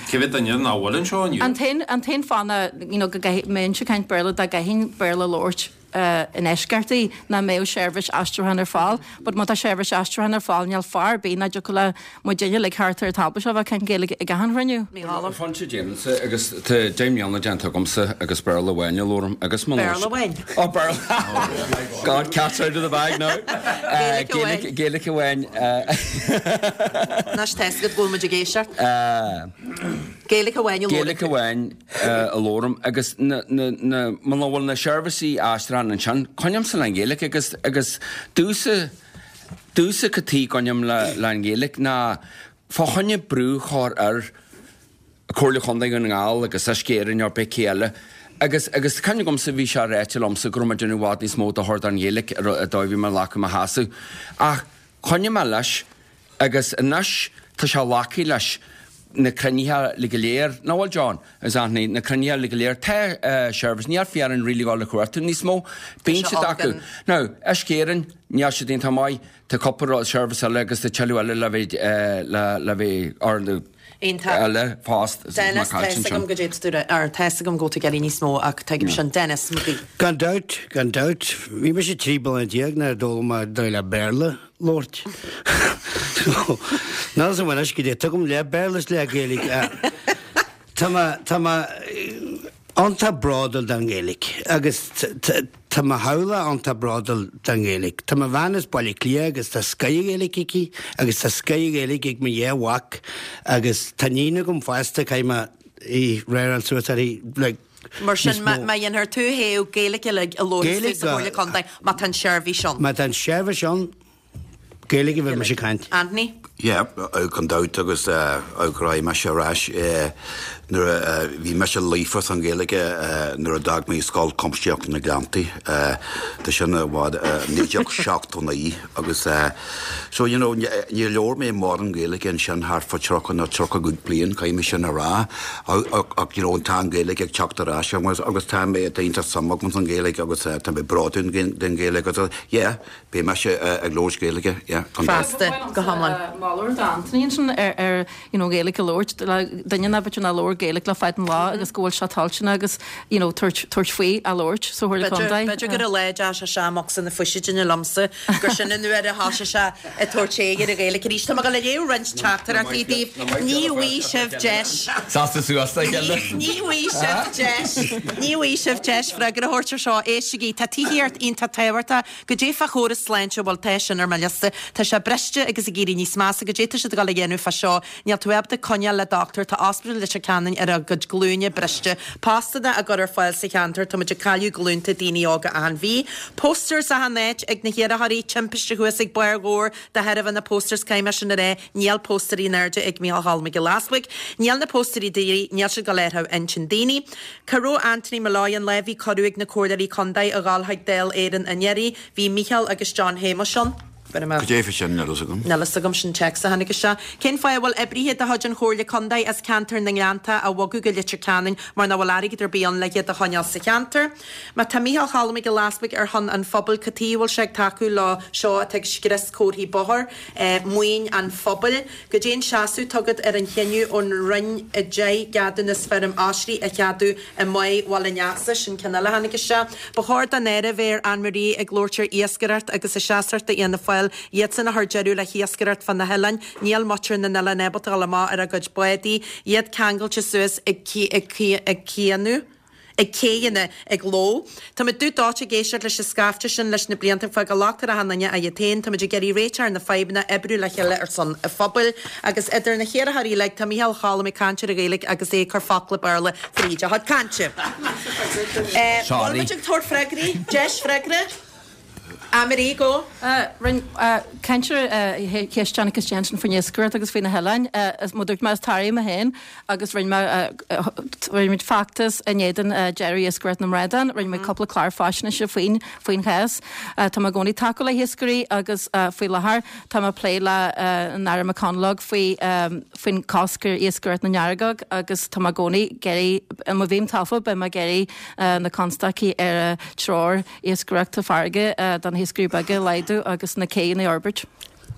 Cé mhéad duine nach bhfuil anseo inniu? An t-aon, an t-aon fáth ná, you know, go gcaithfidh, mbeinnse ag caint Béarla dá gcaithfinn Béarla a labhairt i ndeisceart í, nach mbeadh seirbhís aistriúcháin ar fáil. But má tá seirbhís aistriúcháin ar fáil, níl fear ar bith nach dtiocfadh le muidinne uilig thart ar an tábla seo bheith ag caint Gaeilge ag achan chruinniú. Mícheál. Ar phointe déanaimse agus tá 10 mbliana déanta agamsa agus Béarla amháin a labhraim agus mo Béarla amháin? Oh Béarla! God, cat's out of the bag now. Gaeilge amháin. Gaeilge amháin. Anois tá 'fhios agat go bhfuil muid ag éisteacht. Gaeilge amháin a labhrann Gaeilge tú. amháin. a labhraim agus na, na, na, muna bhfuil na seirbhísí aistriúcháin ansin, coinnímse le an Ghaeilge agus, agus domhsa, domhsa cad tuige a gcoinním le, le an Ghaeilge ná fá choinne brú a chur ar Comhairle Chontae Dhún na nGall agus Uisce Éireann nó pé cé eile agus, agus tá cuimhne agamsa bhí sé ráite liomsa go raibh mé ag déanamh i bhfad níos mó dochair don Ghaeilge ar an dóigh a bhí mé ag glacadh mo sheasamh ach choinnigh mé leis agus anois tá sé glactha leis. na cruinnithe uilig go léir, nach bhfuil John agus Anthony, na cruinnithe uilig go léir, tá seirbhís, níl fearann really ag dul a chuartú níos mó, bíonn siad acu. Now, Uisce Éireann, níl siad iontach maith, tá cúpla rud, seirbhís eile agus tá tuilleadh eile le bheith, le, le bheith, or na, Iontach. eile fosta, Dennis, má tá caillte fhios agam ansin. go dtéann tú, or tá fhios agam go bhfuil tú ag iarraidh níos mó ach tuigim sin. Denis McGee. Gan dabht, gan dabht. Bhí mise 13 bliana nuair a d'fhoghlaim mé dóigh le Béarla labhairt. So, níl fhios agam anois goidé tuigim leath Béarla is leath Gaeilge. Tá mé, tá mé iontach bródúil den Ghaeilge agus tá mo theaghlach iontach bródúil den Ghaeilge. Tá mo bhean as Baile Átha Cliath agus tá scoth Ghaeilge aici agus tá scoth Ghaeilge ag mo dhá mhac agus tá níon agam fosta caithfidh mé í rearáil suas uirthi like Mar sin, níos mó. má dhéanfar tú thaobh Gaeilge uilig a labhróidh tú sa Chomhairle Contae má tá an seirbhís ann. Má tá an seirbhís ann, Gaeilge a bheidh mise ag caint. Anthony? Yeah, gan dabht agus go raibh mise ar ais nuair a bhí mise líofa san Ghaeilge nuair a d'fhág mé Scoil Chuimsitheach na Gleanntaí, tá sin i bhfad, 1979 agus so you know níor labhair mé mórán Gaeilge ansin thart fá 30 nó 35 bliain, caithfidh mé sin a rá ach you know tá an Ghaeilge ag teacht ar ais agus tá mé, tá iontach suim agam san Ghaeilge agus tá mé bródúil den Ghaeilge agus yeah. Beidh mise ag labhairt Gaeilge, yeah, gan dabht. Feasta, go hiomlán. Moladh d'Anthony ansin ar ar you know Gaeilge a labhairt le duine nach b'fhéidir nár labhair Gaeilge le fada an lá agus go bhfuil sé toilteanach agus you know tabhairt tabhairt faoi a labhairt sa Chomhairle Contae. B'fhéidir gur an lá a deir sé seo amach san na fuisidine liomsa gur sin an uair a thoisigh sé ag tabhairt aghaidh ar an Ghaeilge arís. Tá mé ag dul a léamh roinnt teachtaireachtaí daoibh. Ní bhfaighidh sibh deis. Sásta suas le chéile. Ní bhfaighidh sibh deis. Ní bhfaighidh sibh deis freagra a thabhairt ar seo. Éistigí, tá tithíocht iontach tábhachtach. Goidé fá chóras sláinte, bhuel tá sin ar mo liosta. Tá sé briste agus ag éirí níos measa. Goidé tá siad ag dul a dhéanamh fá seo? Níl tú ábalta coinneáil le dochtúir, tá Ospidéal Leitir Ceanainn ar a gcuid glúine briste. Postanna á gcur ar fáil sa cheantar, tá muid ag cailleadh glúnta daoine óga achan mhí. Posters achan áit ag na hiarrthóirí, timpiste thuas ag Barr Dhobhair de thairbhe na posters, caithfidh mé sin a rá, níl póstaerí in airde ag Micheál Cholm Mac Giolla Easbuig. Níl na póstaerí d'iarraidh, níl siad ag dul a athrú intinn daoine. Cá raibh Anthony Molloy an lá a bhí cuireadh ag na comhairleoirí contae a dhul chuig Dáil Éireann anuraidh? Bhí Micheál agus John Shéamuis ann. Cad é fá sin? Níl fhios agam. Níl fhios agam, sin téacs a tháinig isteach. Cén fáth a bhfuil oibrithe de chuid an Chomhairle Contae as ceantar na nGleannta á bhogadh go Leitir Ceanainn mar nach bhfuil airgead ar bith ann le hiad a choinneáil sa cheantar? Má tá Micheál Cholm Mac Giolla Easbuig ar shon an phobail, cad chuige a bhfuil sé ag tacú leo seo atá ag scrios comharthaí bóthair, maoin an phobail? Goidé an seasamh atá agat ar an chinneadh ón Roinn 10 gceadúnas feirm oisrí a cheadú i mBáigh Bhaile Neasa? Sin ceann eile a tháinig isteach. Ba chóir don Aire bheith ar Anne Marie ag labhairt ar iascaireacht agus a seasracht do Fhianna Fáil, iadsan a chuir deireadh le hiascaireacht fá na hoileáin. Níl muintir na n-oileán ábalta dul amach ar a gcuid bádaí, iad ceangailte suas ag cianú. ag céidheanna ag ló. Táimid dubh dóite ag éisteacht leis an scaifte sin leis na blianta ag fágáil locht ar achan duine ach iad féin. Táimid ag iarraidh réiteach ar na fadhbanna, oibriú le chéile ar son an phobail. Agus idir na hiarrthóirí uilig, tá Micheál Cholm ag caint ar an Ghaeilge agus é ag cur focla Béarla fríd a chuid cainte. Sorry. Bhfuil muid ag tabhairt freagraí? Deis freagra? Anne-Marie, go. Rinne caint ar cheist Anneke Jensen faoin iascaireacht agus faoi na hoileáin. Mar a dúirt mé, is Toraigh mé féin agus rinne mé, rinne muid feachtas in éadan deireadh iascaireacht na mbradán, rinne muid cúpla clár faisnéise faoin, faoin chás. Tá mé i gcónaí ag tacú le hiascairí agus faoi láthair tá mé ag plé le an Aire McConalogue faoi, faoin cosc ar iascaireacht na ngearrgóg agus tá mé i gcónaí ag iarraidh, má bhím tofa, beidh mé ag iarraidh na constaicí ar treoir iascaireachta farraige do na hiascairí beaga a laghdú agus na céanna a fhorbairt.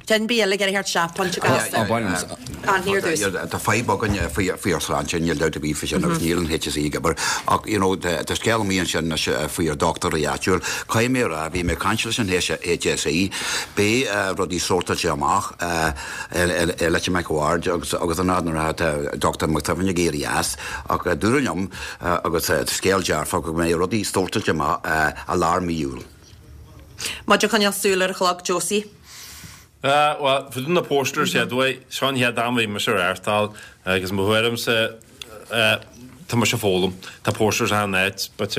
Duine ar bith eile ag iarraidh theacht isteach, pointe gasta. Anthony ar dtús. Tá fadhb againn faoi faoi ár sláinte, níl dabht ar bith faoi sin agus níl an HSE ag obair ach you know tá scéal amuigh ansin anois faoi ár dochtúirí áitiúil. Caithfidh mé a rá, bhí mé ag caint leis an HSE, beidh rudaí sórtáilte amach i Leitir Mhic a' Bhaird agus agus an fhad nuair atá Dr McSweeney ag éirí as ach dúradh liom Agus scéal dearfach go mbeidh rudaí sórtáilte amach i lár mí Iúil. Muid ag coinneáil súil ar an chlog, Josie. Bhuel, fá dtaobh na posters, chéad uair, seo an chéad am a bhí mise ag reáchtáil agus mo thuairimse, tá mise ag foghlaim. Tá posters achan áit, but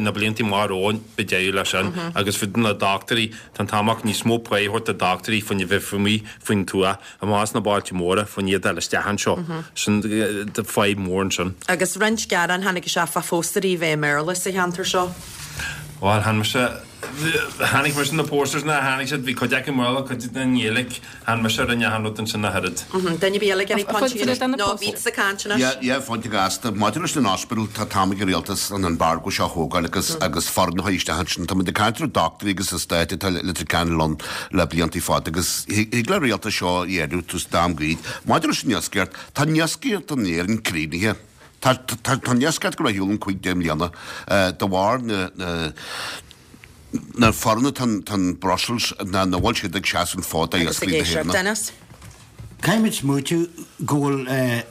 na blianta amach romhainn, beidh deireadh leis sin. Agus fá dtaobh na dochtúirí, tá an t-am ach níos mó pá a thabhairt do dochtúirí faoina bheith amuigh faoin tuath. Amach as na bailte móra, fá choinne iad a fháil isteach anseo. Sin fadhb mhór ansin. Agus roinnt gearán tháinig isteach fá phóstaerí a bheith i mBéarla sa cheantar seo. Bhuel, chan mise. Chonaic mise na posters nuair a tháinig siad, bhí cuid acu i mBéarla, cuid i nGaeilge, chan mise a rinne achan rud ansin ach oiread. Duine ar bith eile ag iarraidh pointe a dhéanamh? Nó bíodh sa caint anois. Yeah, yeah, pointe gasta. Maidir leis an ospidéal, tá t-am ag an rialtas an embargo seo a thógáil agus agus foireann a chur isteach ansin. Tá muid ag caint ar dochtúirí agus an stát atá i Leitir Ceanainn ann le blianta fada agus thig le rialtas seo a dhéanamh tús d'am gaoth. Maidir leis an iascaireacht, tá an iascaireacht in Éirinn críochnaithe. Tá an iascaireacht ag dul ar shiúl in 5 deich mbliana de bharr na na foireann atá in Brussels ná nach bhfuil siad ag seasamh an fód Agus d'iascairí ag na éisteacht. hÉireann. Denis. Caithfimid smaoitiú go bhfuil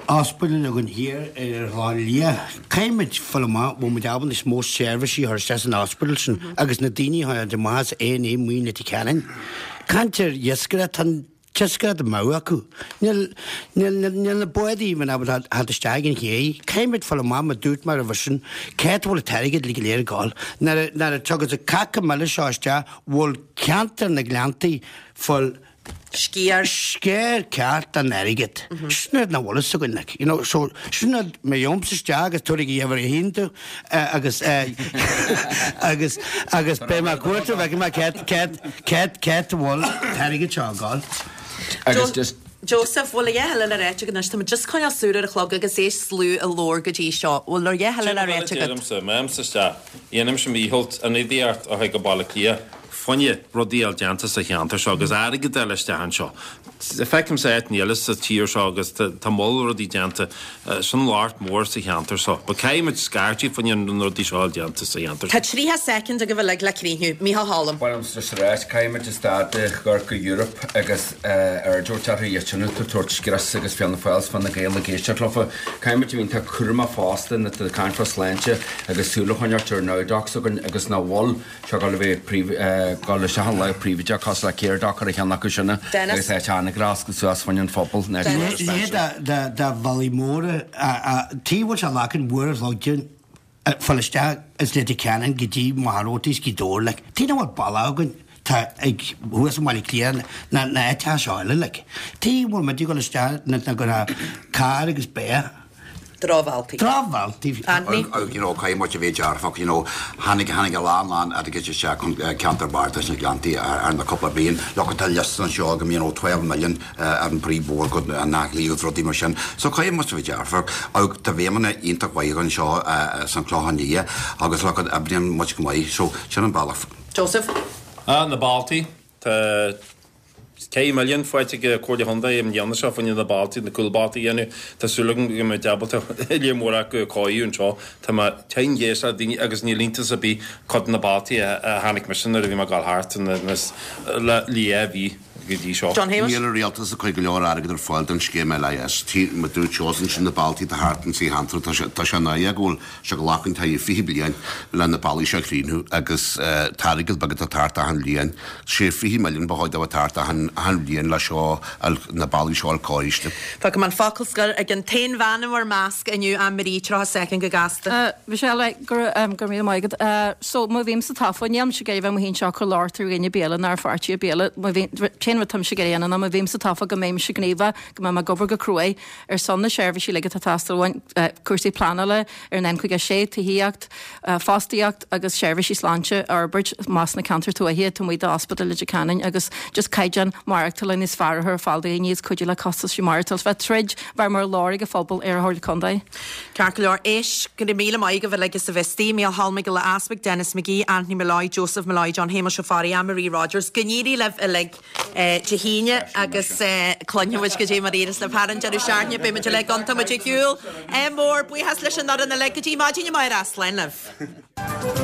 ospidéal againn thiar ar an Chlochán Liath. Caithfimid fáil amach bhfuil muid ábalta níos mó seirbhísí a chur isteach san ospidéal sin agus na daoine a thagann amach as A&E amuigh i Leitir Ceanainn. Caint ar iascaireacht, tá an t-iascaireacht amú acu. Níl, níl, níl na bádaí even ábalta theacht isteach ag an ché. Caithfimid fáil amach mar dúirt mé roimhe sin, cá bhfuil an t-airgead go léir ag dul. Nuair a, nuair a tugas an caca mile seo isteach, bhfuil ceantar na Gleanntaí fáil Sciar. sciar ceart den airgead. Sin rud nach bhfuil fhios againn, like, you know, so sin rud, má gheobhaimse isteach agus tabharfaidh a uimhir a haon domh, agus, agus, agus beidh mé ag cuartú, feicfidh mé céard, céard, céard, céard a bhfuil an t-airgead seo ag dul. Agus just. Joseph, bhfuil a dhath eile le ráit agat anois? Tá muid just coinneáil súil ar an chlog agus é slú ag labhair go dtí seo. Bhfuil a dhath eile le ráit Sin agat? a deirimse, má théimse isteach, dhéanfaimse mo dhícheall ionadaíocht a chur go Baile Átha Cliath. Fá choinne rudaí a fháil déanta sa cheantar seo agus airgead a fháil isteach anseo. Feicimse áiteanna eile sa tír seo agus tá moll rudaí déanta. Sin locht mór sa cheantar seo. But caithfidh muid scairteadh fá choinne na rudaí seo a fháil déanta sa cheantar Tá seo. 30 soicind agaibh uilig le críochnú. Micheál Choilm. Ba mhaith liomsa just a ráit, caithfidh muid stad de chur go Europe agus aird a thabhairt orthu iad sin atá ag tabhairt scrios agus Fianna Fáil 's Fine Gael ag éisteacht leofa. Caithfidh muid a bheith iontach cúramach fosta nuair atá caint fá sláinte agus súil a choinneáilt ar NowDocs againn agus nach bhfuil sé ag dul a bheith príomh, dul isteach in lámh príobháideach cosúil le Caredoc ar a cheann acu sin agus Dennis. áit an-ghrasc suas fá choinne an phobail, National Leithéid Dispensary. de de bhealaí móra taobh bhfuil sé leacain mhór a shlog dúinn fáil isteach as Leitir Ceanainn go dtí Machaire Rabhartaigh is Gaoth Dobhair like. Taobh nach bhfuil bealach againn tá ag thuas i mBaile Átha Cliath na na áiteacha seo eile like. Taobh bhfuil muid ag dul isteach na na go carr agus bear. Drochbhealtaí. Drochbhealtaí. Anthony. Agus you know caithfidh muid a bheith dearfach you know tháinig tháinig a lán lán airgid isteach chun ceantar bardais na Gleanntaí ar na cúpla bliain. Look tá liosta anseo agam you know 12 million ar an bpríomhbhóthar go an Áth Cliath agus rudaí mar sin. So caithfidh muid a bheith dearfach. Agus tá feidhmeanna iontach mhaith anseo san Clochán Liath agus look oibríonn muid go maith. So sin an bealach. Joseph. Ah na bealtaí. Tá 4 milliún faighte ag Comhairle Chontae i mbliana seo fá choinne na bealtaí, na cúlbhealtaí a dhéanamh. Tá súil agam go mbeidh ábalta lear mór acu a chóiriú anseo. Tá mé tinn ag éisteacht le daoine agus níl iontas ar bith cuid de na bealtaí a chonaic mise nuair a bhí mé ag dul thart le dhá mhí go dtí seo. John Shéamuis. Níl an rialtas ag cur go leor airgead ar fáil don scéim LIS. Mar dúirt Seosamh ansin na bealtaí atá thart insa cheantar tá sé náireach go bhfuil sé ag glacadh taithí 20 bliain le na bealaí seo a chríochnú agus tá airgead beag atá thart achan bhliain. Sé 20 milliún ba chóir dó a bheith thart achan bhliain le seo na bealaí seo a fháil cóiriste. Fágfaidh mé an focal scoir ag an t-aon bhean in bhur measc inniu, Ann Marie, 30 soicind go gasta. Michelle, go raibh míle maith agat. So, má bhímse tofa, nílimse ag iarraidh bheith amuigh anseo ag cur locht ar dhuine ar bith eile ná ar pháirtí ar bith eile. Má bhí, t-aon rud táimse ag iarraidh a dhéanamh ná má bhímse tofa go mbeimse gníomhach, go mbeidh mé ag obair go cruaidh ar son na seirbhísí uilig atá ag teastáil uainn, cúrsaí pleanála ar an N56, tithíocht, fostaíocht agus seirbhísí sláinte a fhorbairt amach sna ceantair tuaithe taobh amuigh d'Ospidéal Leitir Ceanainn agus just caighdeán maireachtála níos fearr a chur ar fáil do dhaoine agus cuidiú le costaisí maireachtála. Bheith troid, bheith mar ghlór ag an phobal ar an Chomhairle Contae. Ceart go leor, éist, go raibh míle maith agaibh uilig as a bheith istigh, Mícheál Cholm Mac Giolla Easbuig, Denis McGee, Anthony Molloy, Joseph Molloy, John Shéamuis Ó Fearraigh, Ann Marie Rogers. Go n-éirí libh uilig. Dé hAoine agus cluinfidh muid goidé mar a éireos libh thar an deireadh seachtaine. Beidh muid uilig iontach muid ar shiúl. Ádh mór, buíochas leis an fhoireann uilig. Go dtí maidin amárach, slán libh.